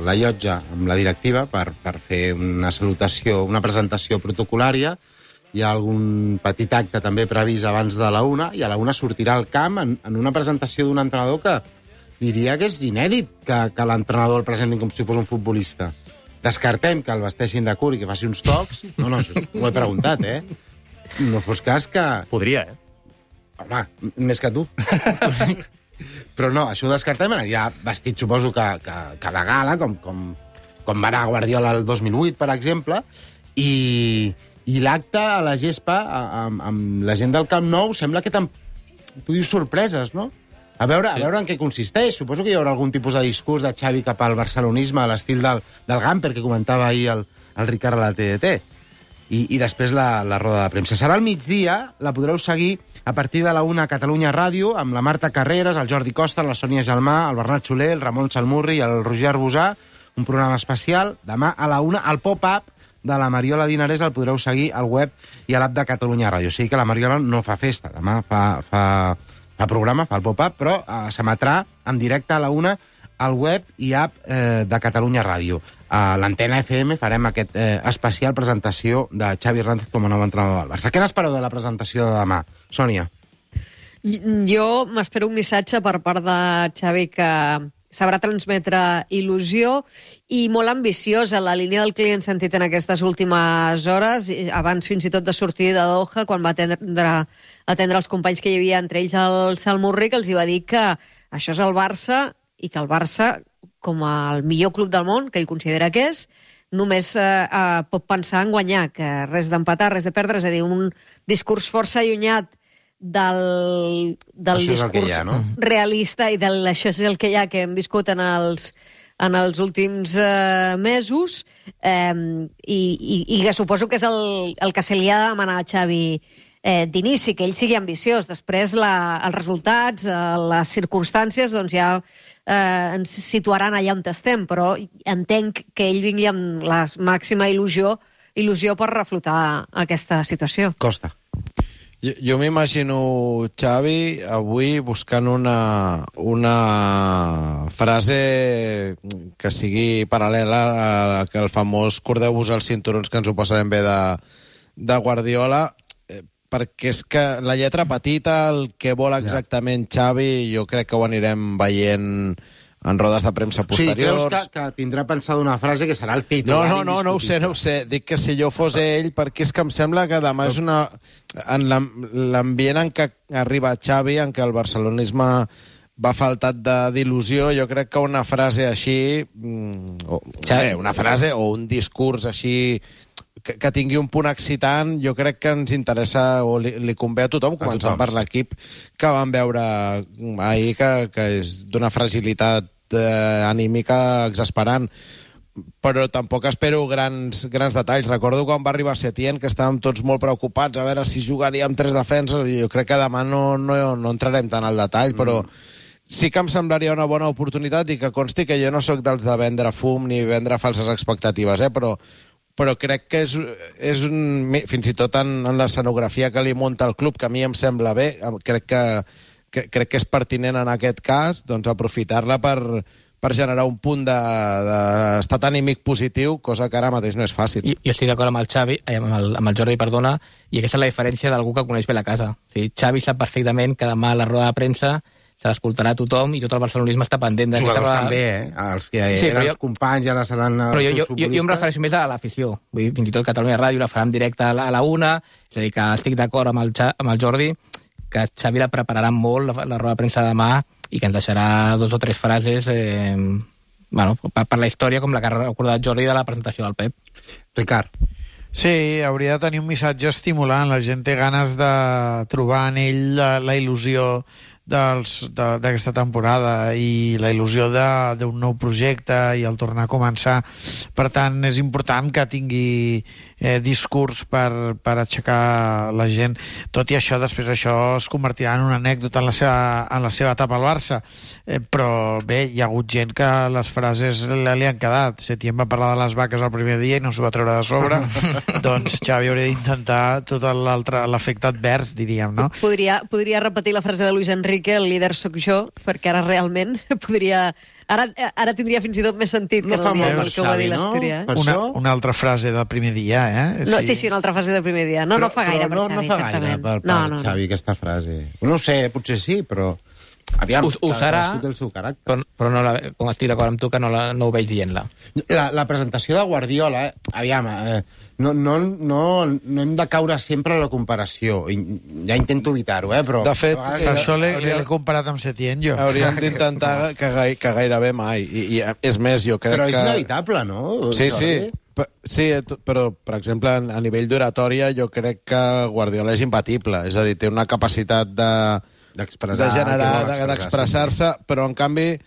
la llotja amb la directiva per, per fer una salutació, una presentació protocolària. Hi ha algun petit acte també previst abans de la una, i a la una sortirà al camp en, en una presentació d'un entrenador que diria que és inèdit que, que l'entrenador el presentin com si fos un futbolista. Descartem que el vesteixin de curt i que faci uns tocs. No, no, això ho he preguntat, eh? No fos cas que... Podria, eh? Home, més que tu. Però no, això ho descartem, anirà vestit, suposo, que, que, que de gala, com, com, com va anar Guardiola el dos mil vuit, per exemple, i, i l'acte a la gespa, amb, amb la gent del Camp Nou, sembla que tam... tu dius sorpreses, no? A veure, sí. a veure en què consisteix. Suposo que hi haurà algun tipus de discurs de Xavi cap al barcelonisme, a l'estil del, del Gamper, que comentava ahir el, el Ricard a la T D T. I, i després la, la roda de premsa. Serà al migdia, la podreu seguir a partir de la una a Catalunya Ràdio, amb la Marta Carreras, el Jordi Costa, la Sònia Gelmà, el Bernat Soler, el Ramon Salmurri i el Roger Arbusà, un programa especial. Demà a la una, al pop-up de la Mariola Dinarès el podreu seguir al web i a l'app de Catalunya Ràdio. O sigui que la Mariola no fa festa, demà fa, fa, fa programa, fa el pop-up, però eh, s'emetrà en directe a la una al web i app eh, de Catalunya Ràdio. A l'Antena F M farem aquest eh, especial presentació de Xavi Hernández com a nou entrenador del Barça. Què n'espereu de la presentació de demà, Sònia? Jo m'espero un missatge per part de Xavi que sabrà transmetre il·lusió i molt ambiciosa. La línia del que li hem sentit en aquestes últimes hores, abans fins i tot de sortir de Doha, quan va atendre, atendre els companys que hi havia, entre ells el Salmurri, que els hi va dir que això és el Barça i que el Barça, com el millor club del món, que ell considera que és, només eh, eh, pot pensar en guanyar, que res d'empatar, res de perdre, és a dir, un discurs força allunyat del, del discurs ha, no? realista i del això és el que hi ha que hem viscut en els, en els últims eh, mesos eh, i, i, i que suposo que és el, el que se li ha de demanar a Xavi eh, d'inici, que ell sigui ambiciós. Després la, els resultats, eh, les circumstàncies, doncs ja eh, ens situaran allà on estem, però entenc que ell vingui amb la màxima il·lusió, il·lusió per reflotar aquesta situació. Costa. Jo, jo m'imagino Xavi avui buscant una, una frase que sigui paral·lela a que el famós cordeu-vos els cinturons, que ens ho passarem bé de, de Guardiola, eh, perquè és que la lletra petita, el que vol exactament Xavi, jo crec que ho anirem veient en rodes de premsa posteriors. Sí, creus que, que tindrà pensada una frase que serà el titular? No, no, no, no ho sé, no ho sé. Dic que si jo fos ell, perquè és que em sembla que demà és una... En l'ambient en què arriba Xavi, en què el barcelonisme va faltat d'il·lusió, jo crec que una frase així... O, bé, una frase o un discurs així que, que tingui un punt excitant, jo crec que ens interessa o li, li convé a tothom, començant per l'equip que vam veure ahir, que, que és d'una fragilitat eh, anímica exasperant. Però tampoc espero grans, grans detalls. Recordo quan va arribar Setién, que estàvem tots molt preocupats a veure si jugaríem tres defenses. Jo crec que demà no, no, no entrarem tant al detall, mm. però sí que em semblaria una bona oportunitat, i que consti que jo no sóc dels de vendre fum ni vendre falses expectatives, eh? però, però crec que és, és un... Fins i tot en, en l'escenografia que li munta el club, que a mi em sembla bé, crec que, que, crec que és pertinent en aquest cas, doncs aprofitar-la per, per generar un punt d'estat anímic positiu, cosa que ara mateix no és fàcil. Jo, jo estic d'acord amb el Xavi, amb el, amb el Jordi, perdona, i aquesta és la diferència d'algú que coneix bé la casa. O sigui, Xavi sap perfectament que demà a la roda de premsa se l'escoltarà tothom i tot el barcelonisme està pendent d'aquesta... Jugadors també, eh? Els que sí, eren jo... els companys i ara seran els però jo, jo, jo, jo em refereixo més a l'afició. Vull dir, fins i tot Catalunya Ràdio la farà en directe a la, a la una, és a dir, que estic d'acord amb, el, amb el Jordi que Xavi la prepararà molt, la, la roda de premsa de demà, i que ens deixarà dos o tres frases eh, bueno, per, per la història, com la que ha recordat Jordi de la presentació del Pep. Ricard. Sí, hauria de tenir un missatge estimulant. La gent té ganes de trobar en ell la, la il·lusió d'aquesta temporada i la il·lusió d'un nou projecte i el tornar a començar. Per tant, és important que tingui eh, discurs per, per aixecar la gent. Tot i això, després això es convertirà en una anècdota en la seva, en la seva etapa al Barça. Eh, però bé, hi ha hagut gent que les frases li, li han quedat. Setién va parlar de les vaques el primer dia i no s'ho va treure de sobre. Doncs Xavi hauria d'intentar tot l'altre, l'efecte advers, diríem, no? Podria, podria repetir la frase de Luis Enrique, el líder sóc jo, perquè ara realment podria... Ara, ara tindria fins i tot més sentit no que el dia que ho va dir no? l'Astúria. Eh? Una, una altra frase del primer dia, eh? No, sí, sí, una altra frase del primer dia. No, però, no fa gaire per no, Xavi, no fa gaire per, per no, no, Xavi, no. aquesta frase. No ho sé, potser sí, però... Aviam, ho, ho serà, el seu caràcter. Però, però no la, com estic d'acord amb tu, que no, la, no ho veig dient-la. La, la presentació de Guardiola, eh, aviam, eh, no, no, no, no hem de caure sempre a la comparació. Ja intento evitar-ho, eh, però... De fet, per això l'he comparat amb Setién, jo. Hauríem d'intentar que, que gairebé mai. I, I és més, jo crec però que... Però és inevitable, no? Sí, sí. Sí, però, per exemple, a nivell d'oratòria, jo crec que Guardiola és imbatible. És a dir, té una capacitat de... de generar, d'expressar-se, però en canvi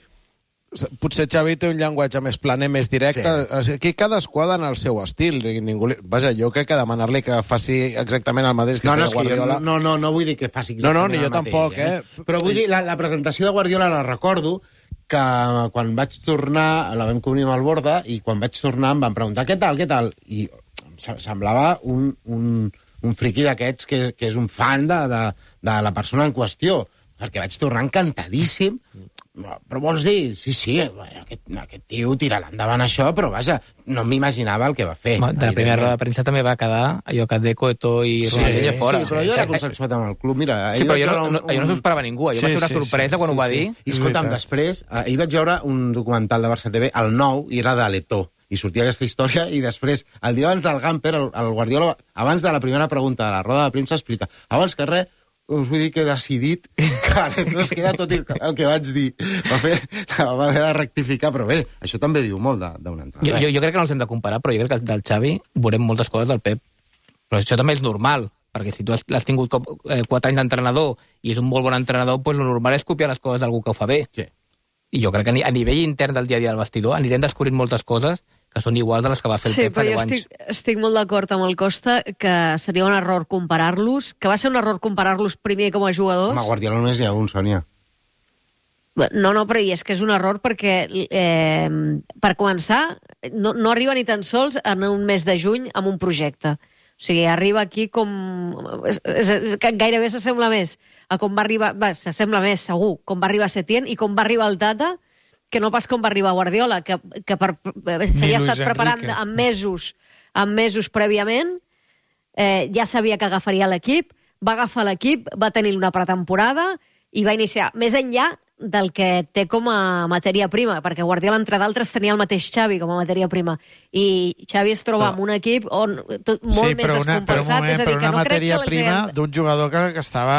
potser Xavi té un llenguatge més planer, més directe. Sí. Aquí cadascú ha d'anar al seu estil. Ningú li... Vaja, jo crec que demanar-li que faci exactament el mateix que no, no, feia Guardiola... No, no, no vull dir que faci exactament no, no, ni jo el mateix. Tampoc, eh? eh? Però vull dir, la, la presentació de Guardiola la recordo que quan vaig tornar, la vam cobrir amb el Borda, i quan vaig tornar em van preguntar què tal, què tal? I semblava un... un un friqui d'aquests que, que és un fan de, de, de la persona en qüestió, perquè vaig tornar encantadíssim. Però vols dir, sí, sí, bueno, aquest, aquest tio tirarà endavant això, però vaja, no m'imaginava el que va fer. De la primera roda de premsa també va quedar allò que Deco, Eto'o i sí, Ronaldinho fora. Sí, però jo era consensuat amb el club, mira... Sí, però jo no, no, jo no s'ho esperava ningú, jo sí, va ser una sí, sorpresa sí, quan sí, ho va sí. dir. I escolta'm, després, ahir vaig veure un documental de Barça T V, el nou, i era de l'Eto'o, i sortia aquesta història, i després, el dia abans del Gamper, el, el Guardiola, abans de la primera pregunta de la roda de premsa, explica, abans que res, us vull dir que he decidit que no es queda tot el que vaig dir. Va fer, va haver de rectificar, però bé, això també diu molt d'un entrenador. Jo, jo, jo crec que no els hem de comparar, però jo crec que del Xavi veurem moltes coses del Pep. Però això també és normal, perquè si tu l'has tingut com, eh, quatre anys d'entrenador i és un molt bon entrenador, doncs el normal és copiar les coses d'algú que ho fa bé. Sí. I jo crec que a nivell intern del dia a dia del vestidor anirem descobrint moltes coses que són iguals a les que va fer el sí, Pep fa deu anys. Sí, però jo estic, estic molt d'acord amb el Costa que seria un error comparar-los, que va ser un error comparar-los primer com a jugadors. Home, Guardiola només hi ha un, Sònia. No, no, però és que és un error perquè, eh, per començar, no, no arriba ni tan sols en un mes de juny amb un projecte. O sigui, arriba aquí com... És, és, és, gairebé s'assembla més a com va arribar... Va, s'assembla més, segur, com va arribar Setién i com va arribar el Tata, que no pas com va arribar Guardiola, que, que per, s'havia estat preparant en mesos, en mesos prèviament, eh, ja sabia que agafaria l'equip, va agafar l'equip, va tenir una pretemporada i va iniciar, més enllà del que té com a matèria prima, perquè Guardiola, entre d'altres, tenia el mateix Xavi com a matèria prima, i Xavi es troba amb un equip on tot, molt sí, més descompensat, moment, és a dir, que no crec que... Sí, però una matèria prima d'un jugador que, que estava...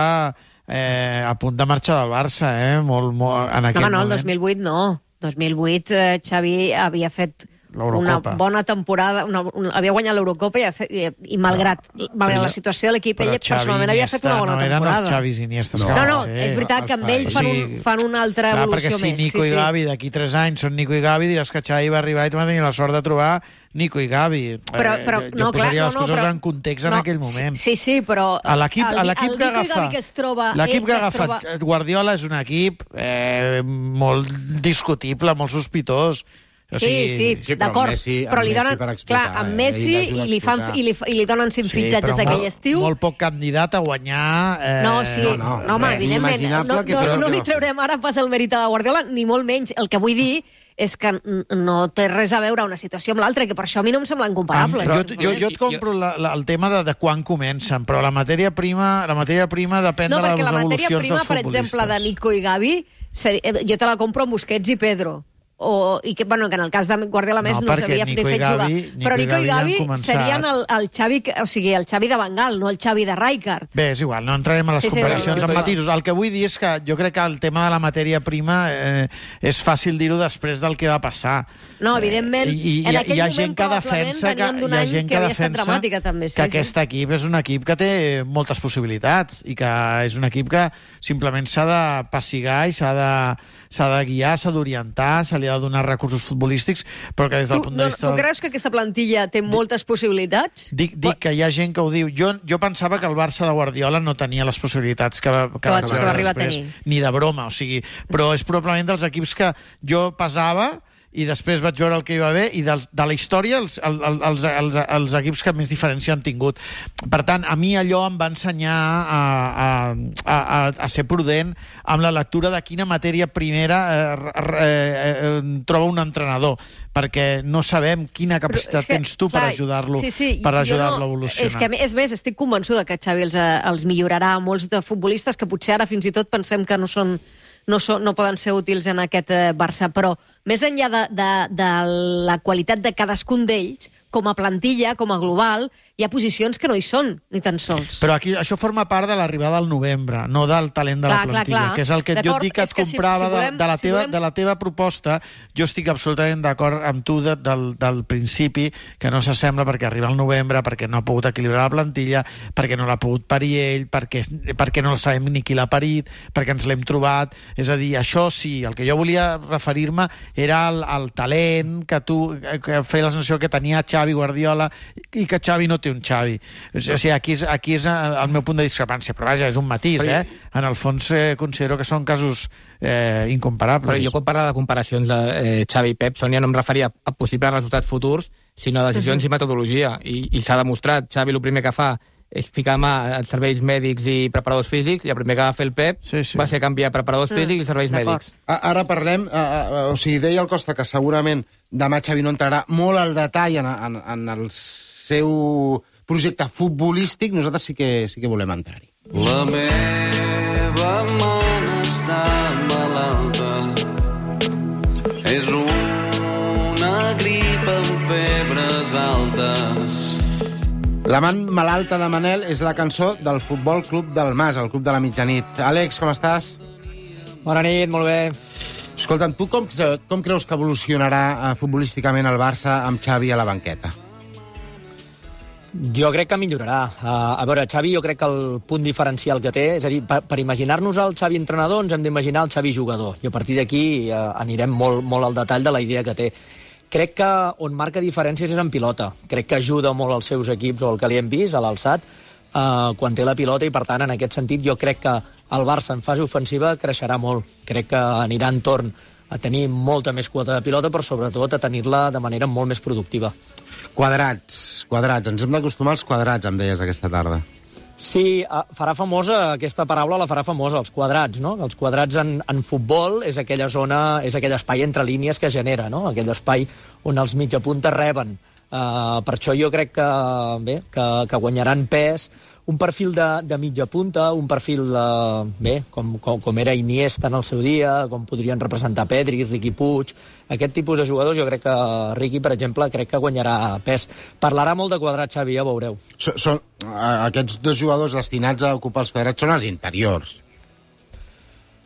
Eh, a punt de marxar del Barça, eh? Molt, molt, en aquell no, no, moment. el dos mil vuit no. dos mil vuit eh, Xavi havia fet una bona temporada, una, una, havia guanyat l'Eurocopa i, i, i malgrat, no, malgrat la situació de l'equip, ell personalment havia fet una bona no temporada. No eren els Xavis Iniestas. No, no, no sí, és veritat que amb ell fan, un, fan una altra clar, evolució perquè si més. Nico sí, i sí. Gavi d'aquí tres anys són Nico i Gavi, diràs que Xavi va arribar i va tenir la sort de trobar Nico i Gavi. Però, però, eh, jo no, jo posaria clar, les no, coses no, però, en context en no, aquell moment. Sí, sí, però a l'equip el, que el agafa que es troba, l'equip que ha agafat troba... Guardiola és un equip eh, molt discutible, molt sospitós. O sigui, sí, sí, sí d'acord, però li donen, clar, amb Messi i li, fan, i li, i li donen cinc sí, fitxatges aquell molt, estiu. Molt poc candidat a guanyar... Eh... No, sí, no, no, no home, evidentment, no, no, no, no li traurem ara pas el mèrit de Guardiola, ni molt menys. El que vull dir és que no té res a veure una situació amb l'altra, que per això a mi no em semblen comparables. Ah, jo, jo, jo et compro la, la, el tema de, de quan comencen, però la matèria prima, la matèria prima depèn no, de les evolucions dels futbolistes. No, perquè la matèria prima, per exemple, de Nico i Gavi, jo te la compro amb Busquets i Pedro. o, i que, bueno, que en el cas de Guardiola més No, no, els perquè havia Nico fet i Gavi- jugar. Nico Però i Nico i Gavi han Gavi començat. serien el, el, Xavi, o sigui, el Xavi de Bengal, no el Xavi de Rijkaard. Bé, és igual, no entrarem a les Sí, sí, comparacions no, no, amb no. matisos. El que vull dir és que jo crec que el tema de la matèria prima eh, és fàcil dir-ho després del que va passar. No, evidentment, I, i, en hi ha- aquell hi ha moment gent que probablement defensa que, veníem d'un hi ha any gent que que havia estat defensa dramàtica, també, sí, que sí. aquest equip és un equip que té moltes possibilitats i que és un equip que simplement s'ha de passigar i s'ha de, s'ha de guiar, s'ha d'orientar, se li ha de donar recursos futbolístics, però que des del Tu, punt no, de vista... tu creus que aquesta plantilla té moltes possibilitats? Dic, dic que hi ha gent que ho diu. Jo, jo pensava que el Barça de Guardiola no tenia les possibilitats que, va, que, Que vaig va- que veure va arribar a després, tenir. ni de broma, o sigui, però és probablement dels equips que jo pesava i després vaig veure el que hi va haver i de, de la història els, el, el, els, els, els equips que més diferència han tingut. Per tant, a mi allò em va ensenyar a, a, a, a ser prudent amb la lectura de quina matèria primera eh, eh, eh, troba un entrenador, perquè no sabem quina capacitat que, tens tu clar, per ajudar-lo sí, sí, per jo ajudar-lo no, a evolucionar. És que, és més, estic convençuda que Xavi els, eh, els millorarà a molts de futbolistes que potser ara fins i tot pensem que no són no, són, no poden ser útils en aquest eh, Barça, però més enllà de, de, de la qualitat de cadascun d'ells, com a plantilla, com a global, hi ha posicions que no hi són, ni tan sols. Però aquí això forma part de l'arribada al novembre, no del talent de Clar, la clar, plantilla, clar. que és el que jo D'acord, et dic que és et que si- comprava si volem- de, de, la si teva, volem- de la teva proposta. Jo estic absolutament d'acord amb tu de, del, del principi, que no s'assembla perquè arriba el novembre, perquè no ha pogut equilibrar la plantilla, perquè no l'ha pogut parir ell, perquè, perquè no sabem ni qui l'ha parit, perquè ens l'hem trobat. És a dir, això sí, el que jo volia referir-me era al, al talent que tu que feia la sensació que tenia Xavi Guardiola i que Xavi no té un Xavi. O sigui, aquí és, aquí és el meu punt de discrepància, però vaja, és un matís, eh? En el fons eh, considero que són casos eh, incomparables. Però jo quan parlava de comparacions de eh, Xavi i Pep, Sònia, no em referia a possibles resultats futurs, sinó a decisions uh -huh. i metodologia. I, i s'ha demostrat, Xavi el primer que fa és ficar mà als serveis mèdics i preparadors físics, i el primer que va fer el Pep sí, sí. va ser canviar preparadors físics i serveis mèdics. Ara parlem, uh, uh, o sigui, deia el Costa que segurament demà Xavi no entrarà molt al detall en, en, en el seu projecte futbolístic, nosaltres sí que, sí que volem entrar-hi. La meva mana està malalta. És una grip amb febres altes. La man malalta de Manel és la cançó del Futbol Club del Mas, el club de la mitjanit. Àlex, com estàs? Bona nit, molt bé. Escolta'm, tu com, com creus que evolucionarà uh, futbolísticament el Barça amb Xavi a la banqueta? Jo crec que millorarà. Uh, a veure, Xavi jo crec que el punt diferencial que té, és a dir, per, per imaginar-nos el Xavi entrenador ens hem d'imaginar el Xavi jugador, i a partir d'aquí uh, anirem molt, molt al detall de la idea que té. Crec que on marca diferències és en pilota. Crec que ajuda molt als seus equips, o el que li hem vist, a l'alçat, uh, quan té la pilota, i per tant, en aquest sentit, jo crec que el Barça en fase ofensiva creixerà molt. Crec que anirà entorn a tenir molta més quota de pilota, però sobretot a tenir-la de manera molt més productiva. Quadrats, quadrats. Ens hem d'acostumar als quadrats, em deies aquesta tarda. Sí, farà famosa, aquesta paraula la farà famosa, els quadrats, no? Els quadrats en, en futbol és aquella zona, és aquell espai entre línies que genera, no? Aquell espai on els mitjapuntes reben. Uh, per això jo crec que, bé, que, que guanyaran pes un perfil de, de mitja punta, un perfil de, bé, com, com, com era Iniesta en el seu dia, com podrien representar Pedri, Riqui Puig, aquest tipus de jugadors. Jo crec que Riqui, per exemple, crec que guanyarà pes. Parlarà molt de quadrats, Xavi, ja veureu. So, són, aquests dos jugadors destinats a ocupar els quadrats són els interiors.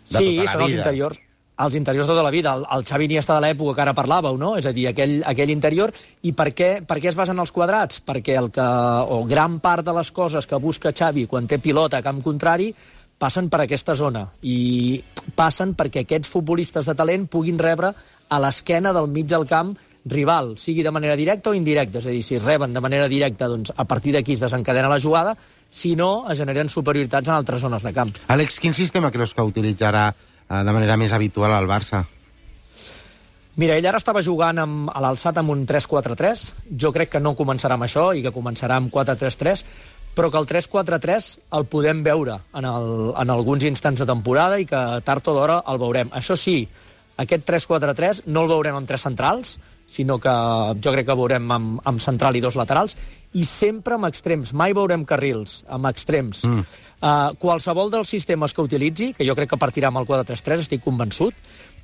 De sí, tota la són els vida. interiors. Els interiors tota la vida, el, el Xavi Iniesta de l'època que ara parlàveu, no? És a dir, aquell, aquell interior. I per què, per què es basen els quadrats? Perquè el que, o gran part de les coses que busca Xavi quan té pilota a camp contrari passen per aquesta zona. I passen perquè aquests futbolistes de talent puguin rebre a l'esquena del mig del camp rival, sigui de manera directa o indirecta. És a dir, si reben de manera directa, doncs a partir d'aquí es desencadena la jugada, si no, es generen superioritats en altres zones de camp. Àlex, quin sistema creus que utilitzarà de manera més habitual al Barça? Mira, ell ara estava jugant amb, a l'alçat amb un tres quatre tres. Jo crec que no començarà amb això i que començarà amb quatre tres tres, però que el tres quatre tres el podem veure en, el, en alguns instants de temporada i que tard o d'hora el veurem. Això sí, aquest tres quatre tres no el veurem amb tres centrals, sinó que jo crec que veurem amb, amb central i dos laterals, i sempre amb extrems. Mai veurem carrils, amb extrems. Mm. Uh, qualsevol dels sistemes que utilitzi, que jo crec que partirà amb el quatre tres tres, estic convençut,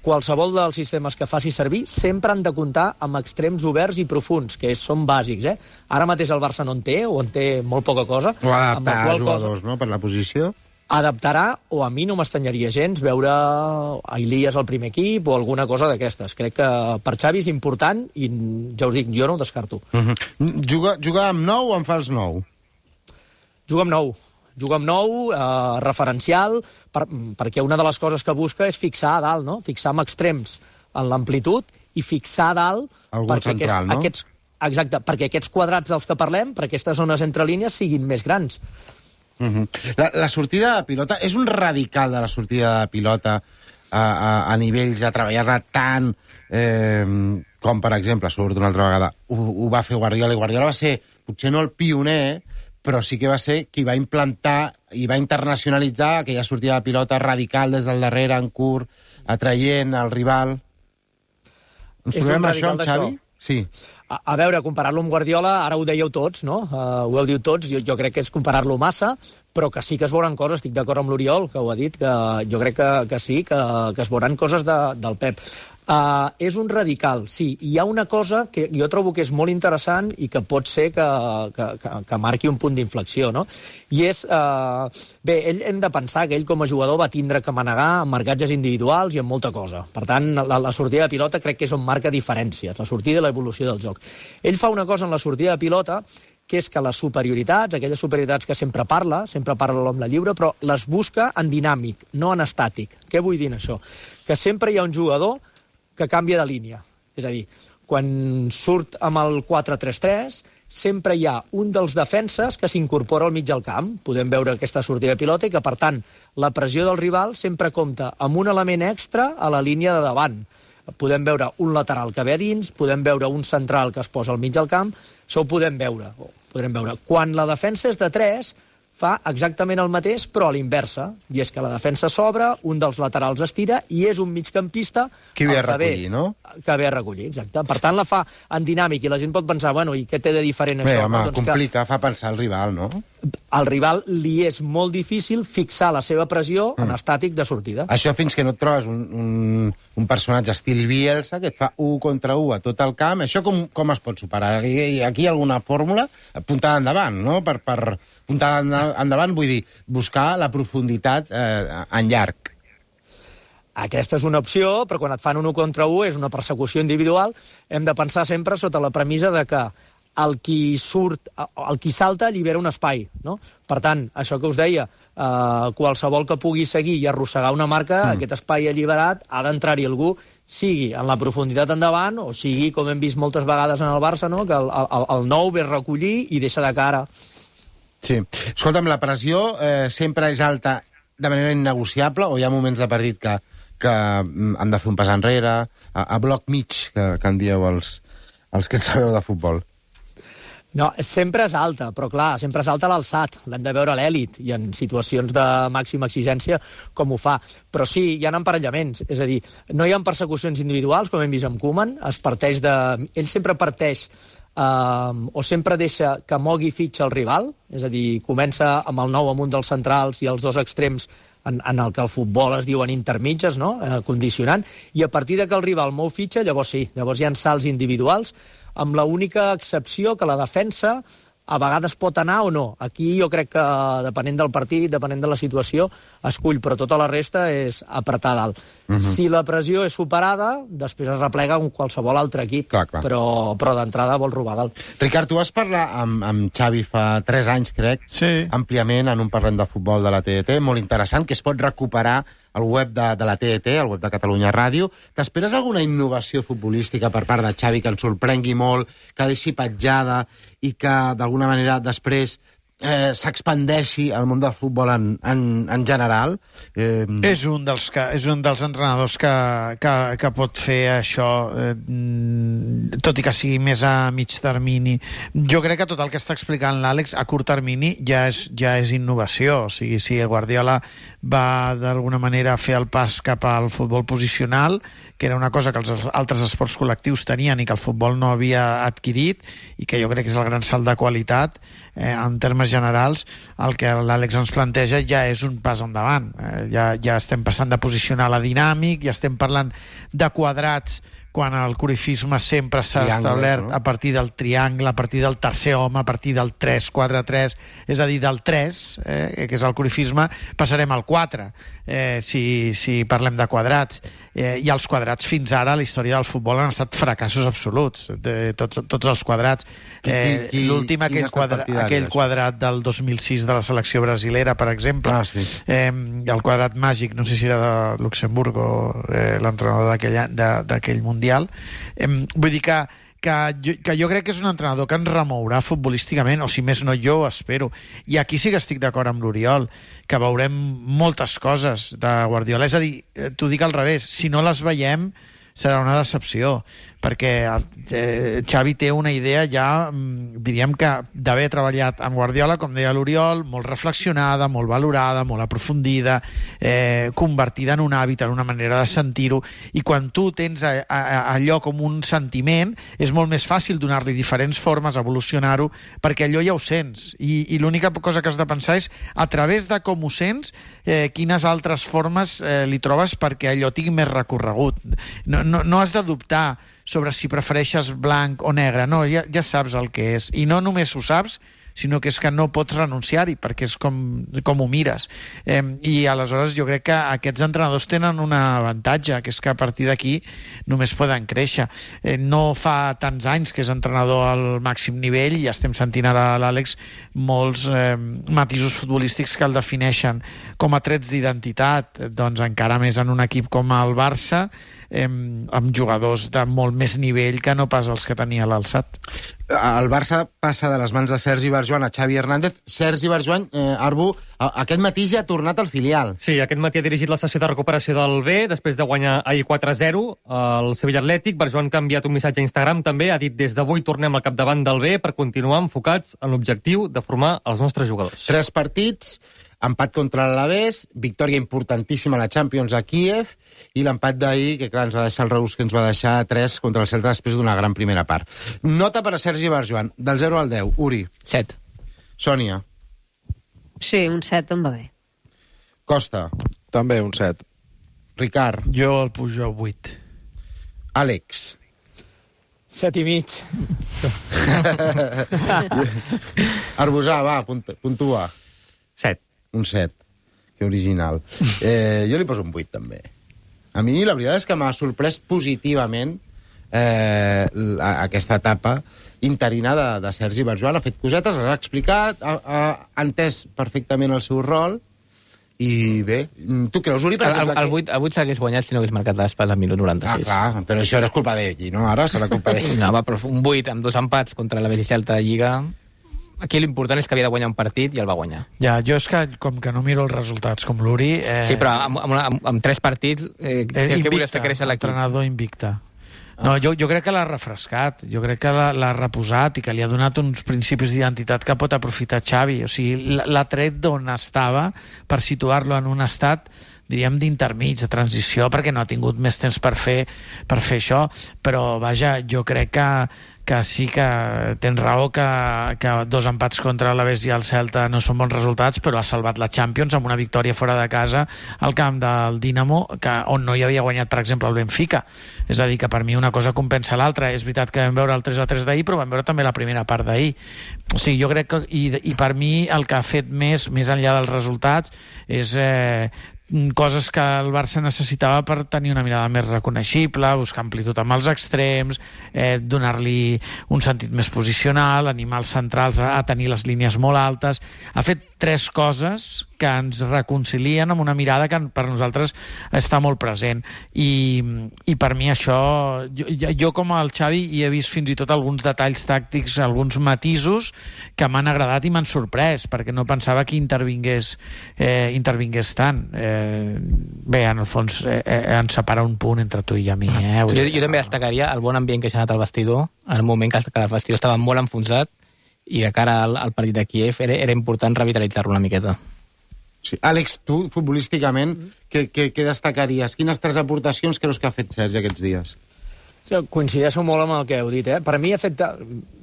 qualsevol dels sistemes que faci servir sempre han de comptar amb extrems oberts i profunds, que és, són bàsics. Eh? Ara mateix el Barça no en té, o en té molt poca cosa. O adaptar a jugadors, cosa... no?, per la posició. Adaptarà, o a mi no m'estanyaria gens veure a Ilias al primer equip o alguna cosa d'aquestes. Crec que per Xavi és important i ja us dic, jo no ho descarto. Uh-huh. Juga, juga amb nou o amb fals nou? Juga amb nou. Juga amb nou, eh, referencial, per, perquè una de les coses que busca és fixar a dalt, no? Fixar amb extrems en l'amplitud i fixar a dalt algun perquè, central, aquests, no? aquests, exacte, perquè aquests quadrats dels que parlem, per aquestes zones entre línies, siguin més grans. Uh-huh. La, la sortida de pilota és un radical de la sortida de pilota a, a, a nivells de treballar-la tant eh, com, per exemple, surt una altra vegada, ho, ho va fer Guardiola, i Guardiola va ser, potser no el pioner, però sí que va ser qui va implantar i va internacionalitzar aquella sortida de pilota radical des del darrere, en curt, atraient al rival. Ens trobem això amb Xavi? Sí. A, a veure, comparar-lo amb Guardiola, ara ho dèieu tots, no? Uh, ho heu dit tots, jo, jo crec que és comparar-lo massa, però que sí que es veuran coses, estic d'acord amb l'Oriol, que ho ha dit, que jo crec que, que sí, que, que es veuran coses de, del Pep. Uh, és un radical, sí. Hi ha una cosa que jo trobo que és molt interessant i que pot ser que, que, que, que marqui un punt d'inflexió, no? I és... Uh, bé, ell hem de pensar que ell com a jugador va tindre que manegar amb marcatges individuals i amb molta cosa. Per tant, la, la sortida de pilota crec que és on marca diferències, la sortida i l'evolució del joc. Ell fa una cosa en la sortida de pilota que és que les superioritats, aquelles superioritats que sempre parla, sempre parla l'home lliure, però les busca en dinàmic, no en estàtic. Què vull dir en això? Que sempre hi ha un jugador que canvia de línia. És a dir, quan surt amb el quatre tres tres, sempre hi ha un dels defenses que s'incorpora al mig del camp. Podem veure aquesta sortida de pilota i que, per tant, la pressió del rival sempre compta amb un element extra a la línia de davant. Podem veure un lateral que ve a dins, podem veure un central que es posa al mig del camp, això ho podem veure. Podrem veure. Quan la defensa és de tres, fa exactament el mateix, però a l'inversa. I és que la defensa s'obre, un dels laterals es tira, i és un migcampista que ve a recollir, no? Que ve a recollir, exacte. Per tant, la fa en dinàmic, i la gent pot pensar, bueno, i què té de diferent Bé, això? home, no? doncs complica, que fa pensar el rival, no? al rival li és molt difícil fixar la seva pressió mm. en estàtic de sortida. Això fins que no et trobes un, un, un personatge estil Bielsa que et fa un contra un a tot el camp. Això com, com es pot superar? Aquí, aquí hi ha alguna fórmula? Puntada endavant, no? Per, per puntada endavant vull dir buscar la profunditat eh, en llarg. Aquesta és una opció, però quan et fan un un contra un és una persecució individual. Hem de pensar sempre sota la premissa de que el qui surt, el qui salta allibera un espai, no? Per tant, això que us deia, eh, qualsevol que pugui seguir i arrossegar una marca, mm. aquest espai alliberat, ha d'entrar-hi algú, sigui en la profunditat endavant, o sigui, com hem vist moltes vegades en el Barça, no? Que el, el, el nou ve a recollir i deixa de cara. Sí. Escolta'm, la pressió eh, sempre és alta de manera innegociable, o hi ha moments de partit que, que han de fer un pas enrere, a, a bloc mig, que, que en dieu els, els que en sabeu de futbol? No, sempre és alta, però clar, sempre és alta l'alçat, l'hem de veure a l'èlit, i en situacions de màxima exigència com ho fa. Però sí, hi ha emparellaments, és a dir, no hi ha persecucions individuals, com hem vist amb Koeman, es parteix de... Ell sempre parteix eh, o sempre deixa que mogui fitxa el rival, és a dir, comença amb el nou amb un dels centrals i els dos extrems en, en el que el futbol es diuen intermitges, no? eh, condicionant, i a partir de que el rival mou fitxa, llavors sí, llavors hi ha salts individuals, amb la única excepció que la defensa a vegades pot anar o no. Aquí jo crec que, depenent del partit, depenent de la situació, escull, però tota la resta és apretar dalt. Uh-huh. Si la pressió és superada, després es replega amb qualsevol altre equip, clar, clar. però, però d'entrada vol robar dalt. Ricard, tu vas parlar amb, amb Xavi fa tres anys, crec, sí. àmpliament en un parlem de futbol de la T D T, molt interessant, que es pot recuperar al web de, de la T D T, al web de Catalunya Ràdio. T'esperes alguna innovació futbolística per part de Xavi que ens sorprengui molt, que deixi petjada i que d'alguna manera després eh, s'expandeixi al món del futbol en, en, en general. Eh... És, un dels que, és un dels entrenadors que, que, que pot fer això, eh, tot i que sigui més a mig termini. Jo crec que tot el que està explicant l'Àlex a curt termini ja és, ja és innovació. O sigui, si Guardiola va d'alguna manera fer el pas cap al futbol posicional, que era una cosa que els altres esports col·lectius tenien i que el futbol no havia adquirit, i que jo crec que és el gran salt de qualitat, eh, en termes generals, el que l'Àlex ens planteja ja és un pas endavant. Eh, ja, ja estem passant de posicionar la dinàmic, ja estem parlant de quadrats, quan el corifisme sempre s'ha establert, no? A partir del triangle, a partir del tercer home, a partir del tres quatre tres, és a dir, del tres, eh, que és el corifisme, passarem al quatre, eh, si, si parlem de quadrats. Eh, I els quadrats fins ara a la història del futbol han estat fracassos absoluts, de, tots, tots els quadrats. Eh, L'últim, aquell, quadra, aquell quadrat del dos mil sis de la selecció brasilera, per exemple, ah, sí. eh, el quadrat màgic, no sé si era de Luxemburg o eh, l'entrenador d'aquell mundial. Eh, vull dir que, que, jo, que jo crec que és un entrenador que ens remourà futbolísticament, o si més no jo ho espero. I aquí sí que estic d'acord amb l'Oriol, que veurem moltes coses de Guardiola. És a dir, t'ho dic al revés, si no les veiem serà una decepció, perquè eh, Xavi té una idea ja, diríem que d'haver treballat amb Guardiola, com deia l'Oriol, molt reflexionada, molt valorada, molt aprofundida, eh, convertida en un hàbit, en una manera de sentir-ho, i quan tu tens a, a, allò com un sentiment, és molt més fàcil donar-li diferents formes, evolucionar-ho, perquè allò ja ho sents, i, i l'única cosa que has de pensar és, a través de com ho sents, eh, quines altres formes eh, li trobes perquè allò tingui més recorregut. No, no, no has de dubtar sobre si prefereixes blanc o negre, no, ja, ja saps el que és, i no només ho saps, sinó que és que no pots renunciar-hi, perquè és com, com ho mires. Eh, I aleshores jo crec que aquests entrenadors tenen un avantatge, que és que a partir d'aquí només poden créixer. Eh, no fa tants anys que és entrenador al màxim nivell, i ja estem sentint ara a l'Àlex molts eh, matisos futbolístics que el defineixen com a trets d'identitat, doncs encara més en un equip com el Barça, eh, amb jugadors de molt més nivell que no pas els que tenia l'Alçat. El Barça passa de les mans de Sergi Barjuan a Xavi Hernández. Sergi Barjuan, eh, Arbu, aquest matí ja ha tornat al filial. Sí, aquest matí ha dirigit la sessió de recuperació del B, després de guanyar ahir quatre a zero al Sevilla Atlètic. Barjuan ha enviat un missatge a Instagram també, ha dit: des d'avui tornem al capdavant del B per continuar enfocats en l'objectiu de formar els nostres jugadors. Tres partits, empat contra l'Alavés, victòria importantíssima a la Champions a Kíev, i l'empat d'ahir, que clar, ens va deixar el Reus, que ens va deixar tres contra el Celta després d'una gran primera part. Nota per a Sergi Barjuan, del zero al deu. Uri. set. Sònia. Sí, un set em va bé. Costa. També un set. Ricard. Jo el pujo a vuit. Àlex. Set i mig. Arbusà, va, puntua. Set. Un set. Que original. Eh, jo li poso un vuit, també. A mi la veritat és que m'ha sorprès positivament eh, aquesta etapa interina de, de Sergi Barjuan. Ha fet cosetes, l'ha explicat, ha, ha entès perfectament el seu rol, i bé, tu creus, Uri? Per el, el, vuit, el vuit s'hagués guanyat si no hagués marcat l'espasa al minut noranta-sis. Ah, clar, però això era culpa d'ell, no? Ara serà culpa d'ell. No, va, però un vuit amb dos empats contra la Celta de Lliga. Aquí l'important és que havia de guanyar un partit i el va guanyar. Ja, jo és que, com que no miro els resultats, com l'Uri... Eh... Sí, però amb, amb, amb, amb tres partits, eh, eh, què volies fer créixer l'equip? Entrenador invicte. No, jo, jo crec que l'ha refrescat, jo crec que l'ha reposat i que li ha donat uns principis d'identitat que pot aprofitar Xavi. O sigui, l'ha tret d'on estava per situar-lo en un estat, diríem, d'intermig, de transició, perquè no ha tingut més temps per fer, per fer això. Però, vaja, jo crec que, que sí que tens raó que, que dos empats contra l'Alavés i el Celta no són bons resultats, però ha salvat la Champions amb una victòria fora de casa al camp del Dinamo, que, on no hi havia guanyat, per exemple, el Benfica. És a dir, que per mi una cosa compensa l'altra. És veritat que vam veure el tres a tres d'ahir, però vam veure també la primera part d'ahir. O sigui, jo crec que... I, i per mi el que ha fet més, més enllà dels resultats, és... Eh, coses que el Barça necessitava per tenir una mirada més reconeixible, buscar amplitud amb els extrems, eh, donar-li un sentit més posicional, animar els centrals a, a tenir les línies molt altes. Ha fet tres coses que ens reconcilien amb una mirada que per nosaltres està molt present. I, i per mi això, jo, jo com el Xavi hi he vist fins i tot alguns detalls tàctics, alguns matisos que m'han agradat i m'han sorprès, perquè no pensava que intervingués, eh, intervingués tant. Eh, bé, en el fons eh, ens separa un punt entre tu i a mi. Eh? Jo, jo també destacaria el bon ambient que s'ha anat al vestidor, en el moment que el vestidor estava molt enfonsat, i de cara al, al partit de Kíev era, era important revitalitzar-lo una miqueta. Sí. Àlex, tu, futbolísticament, què, què, què destacaries? Quines tres aportacions creus que ha fet Sergi aquests dies? Sí, coincideixo molt amb el que heu dit, eh? Per mi ha fet,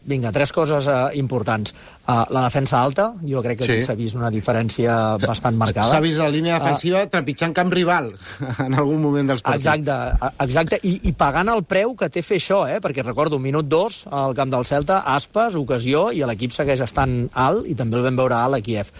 vinga, tres coses uh, importants. Uh, la defensa alta, jo crec que sí. S'ha vist una diferència bastant marcada. S'ha vist la línia defensiva uh, trepitjant camp rival en algun moment dels partits. Exacte, exacte. I, i pagant el preu que té fer això, eh? Perquè recordo, minut dos, al camp del Celta, Aspas, ocasió, i l'equip segueix estant alt, i també el vam veure alt a Kíev.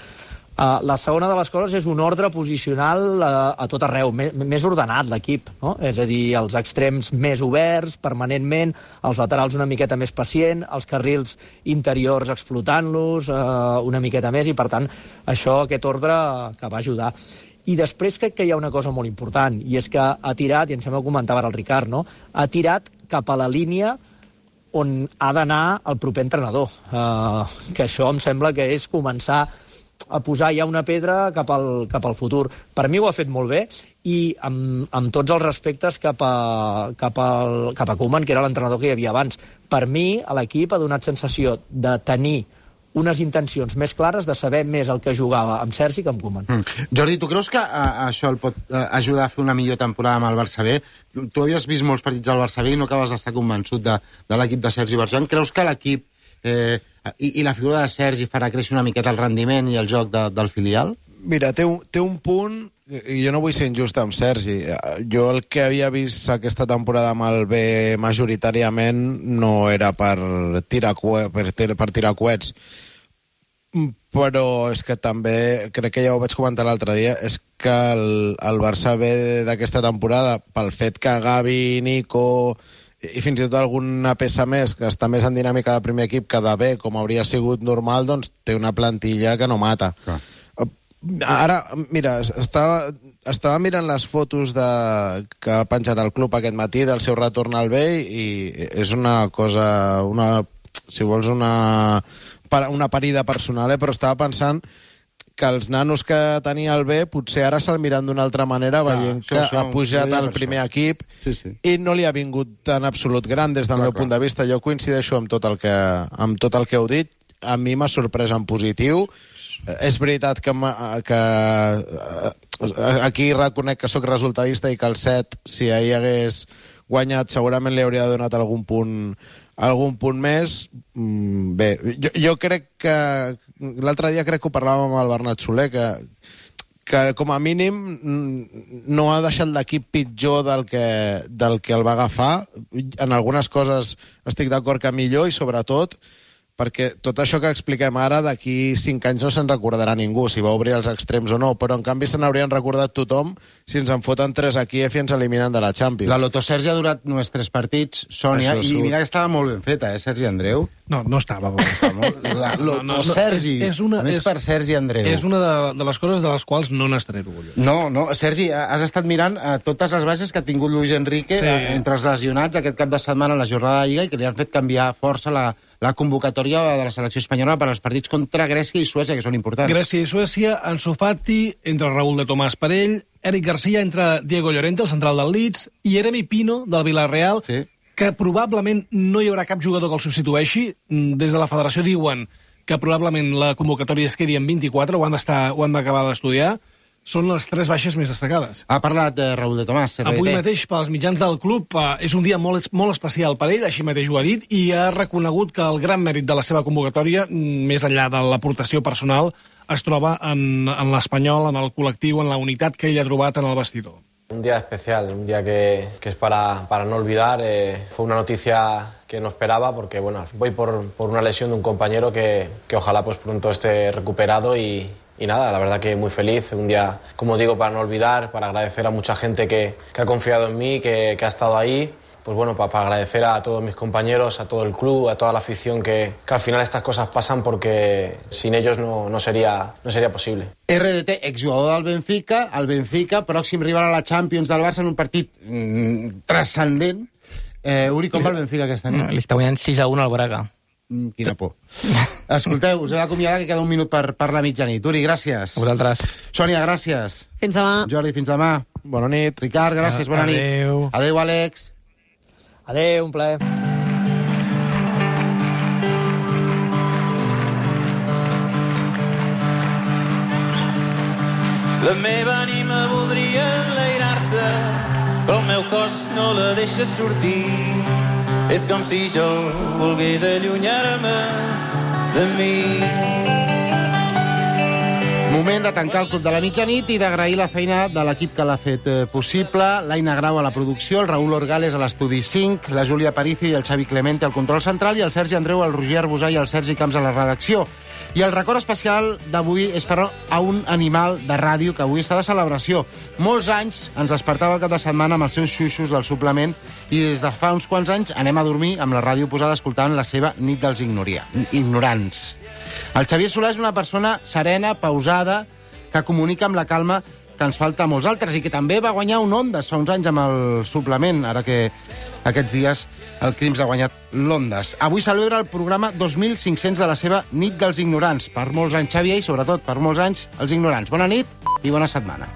Uh, la segona de les coses és un ordre posicional uh, a tot arreu, més, més ordenat l'equip, no? És a dir, els extrems més oberts permanentment, els laterals una miqueta més pacient, els carrils interiors explotant-los uh, una miqueta més, i per tant això, aquest ordre que va ajudar. I després crec que hi ha una cosa molt important, i és que ha tirat, i em sembla que comentava el Ricard, no? Ha tirat cap a la línia on ha d'anar el proper entrenador, uh, que això em sembla que és començar a posar ja una pedra cap al, cap al futur. Per mi ho ha fet molt bé, i amb, amb tots els respectes cap a, cap, al, cap a Koeman, que era l'entrenador que hi havia abans. Per mi, a l'equip ha donat sensació de tenir unes intencions més clares, de saber més el que jugava amb Sergi que amb Koeman. Mm. Jordi, tu creus que a, això el pot a, ajudar a fer una millor temporada amb el Barça B? Tu, tu havies vist molts partits del Barça B i no acabes d'estar convençut de, de l'equip de Sergi Bertran. Creus que l'equip eh, i, i la figura de Sergi farà créixer una miqueta el rendiment i el joc de, del filial? Mira, té un, té un punt, i jo no vull ser injust amb Sergi. Jo el que havia vist aquesta temporada amb el B majoritàriament no era per tirar, per, per tirar coets, però és que també, crec que ja ho vaig comentar l'altre dia, és que el, el Barça B d'aquesta temporada, pel fet que Gavi, Nico i fins i tot alguna peça més que està més en dinàmica de primer equip que de B, com hauria sigut normal, doncs té una plantilla que no mata. Ah. Ara, mira, estava, estava mirant les fotos de, que ha penjat el club aquest matí del seu retorn al B, i és una cosa, una, si vols una, una parida personal, eh? Però estava pensant que els nanos que tenia el B potser ara se'l miren d'una altra manera, veient ah, que això, ha pujat al primer això. equip sí, sí. i no li ha vingut en absolut gran des del clar, meu clar. punt de vista. Jo coincideixo amb tot el que, amb tot el que heu dit. A mi m'ha sorprès en positiu. És veritat que, que aquí reconec que sóc resultadista i que el set, si ahir hagués guanyat, segurament li hauria donat algun punt algun punt més. Bé, jo, jo crec que l'altre dia crec que ho parlàvem amb el Bernat Soler, que, que com a mínim no ha deixat l'equip pitjor del que, del que el va agafar. En algunes coses estic d'acord que millor, i sobretot perquè tot això que expliquem ara d'aquí cinc anys no se'n recordarà ningú, si va obrir els extrems o no, però en canvi se n'haurien recordat tothom si ens en foten tres a Kíev i ens eliminen de la Champions. La Loto Sergi ha durat només tres partits, Sònia, i surt. Mira que estava molt ben feta, eh, Sergi Andreu? No, no estava molt. Estava molt... La Loto no, no, no, Sergi, és, és una, més és, per Sergi Andreu. És una de, de les coses de les quals no n'estaré orgullós. No, no, Sergi, has estat mirant uh, totes les baixes que ha tingut Luis Enrique sí. uh, entre els lesionats aquest cap de setmana a la jornada de Lliga, i que li han fet canviar força la, la convocatòria de la selecció espanyola per als partits contra Grècia i Suècia, que són importants. Grècia i Suècia, Ansu Fati, entre Raúl de Tomàs per ell, Eric Garcia entre Diego Llorente, el central del Leeds, i Jeremy Pino, del Villarreal, sí. que probablement no hi haurà cap jugador que el substitueixi. Des de la federació diuen que probablement la convocatòria es quedi en vint-i-quatre, ho han d'estar, ho han d'acabar d'estudiar. Són les tres baixes més destacades. Ha parlat de Raúl de Tomàs. Avui mateix, pels mitjans del club, és un dia molt, molt especial per ell, així mateix ho ha dit, i ha reconegut que el gran mèrit de la seva convocatòria, més enllà de l'aportació personal, es troba en, en l'Espanyol, en el col·lectiu, en la unitat que ell ha trobat en el vestidor. Un día especial, un día que, que es para, para no olvidar. Eh, fue una noticia que no esperaba porque bueno, voy por, por una lesión de un compañero que, que ojalá pues pronto esté recuperado y, y nada, la verdad que muy feliz. Un día, como digo, para no olvidar, para agradecer a mucha gente que, que ha confiado en mí, que, que ha estado ahí, pues bueno, para, para agradecer a todos mis compañeros, a todo el club, a toda la afición, que, que al final estas cosas pasan porque sin ellos no, no, sería, no sería posible. R D T, exjugador del Benfica, el Benfica, pròxim rival a la Champions del Barça en un partit mm, transcendent. Eh, Uri, com va el Benfica aquesta nit? Li està guanyant sis a un al Braga. Mm, quina por. Escolteu, us he d'acomiadar que queda un minut per, per la mitjanit. Uri, gràcies. A vosaltres. Sònia, gràcies. Fins demà. Jordi, fins demà. Bona nit. Ricard, gràcies, bona nit. Adéu. Adéu, Àlex. Adéu, un plaer. La meva ànima voldria enlairar-se, però el meu cos no la deixa sortir. És com si jo volgués allunyar-me de mi. Moment de tancar el Club de la Mitjanit i d'agrair la feina de l'equip que l'ha fet eh, possible. L'Aina Grau a la producció, el Raül Orgales a l'estudi cinc, la Júlia Aparicio i el Xavi Clemente al control central i el Sergi Andreu, el Roger Arbusà i el Sergi Camps a la redacció. I el record especial d'avui és per a un animal de ràdio que avui està de celebració. Molts anys ens despertava el cap de setmana amb els seus xuixos del suplement i des de fa uns quants anys anem a dormir amb la ràdio posada escoltant la seva nit dels ignoria, ignorants. El Xavier Solà és una persona serena, pausada, que comunica amb la calma que ens falta a molts altres i que també va guanyar un Ondas fa uns anys amb el suplement, ara que aquests dies el Crims ha guanyat l'Ondas. Avui celebra el programa dos mil cinc-cents de la seva Nit dels Ignorants. Per molts anys, Xavier, i sobretot per molts anys, els ignorants. Bona nit i bona setmana.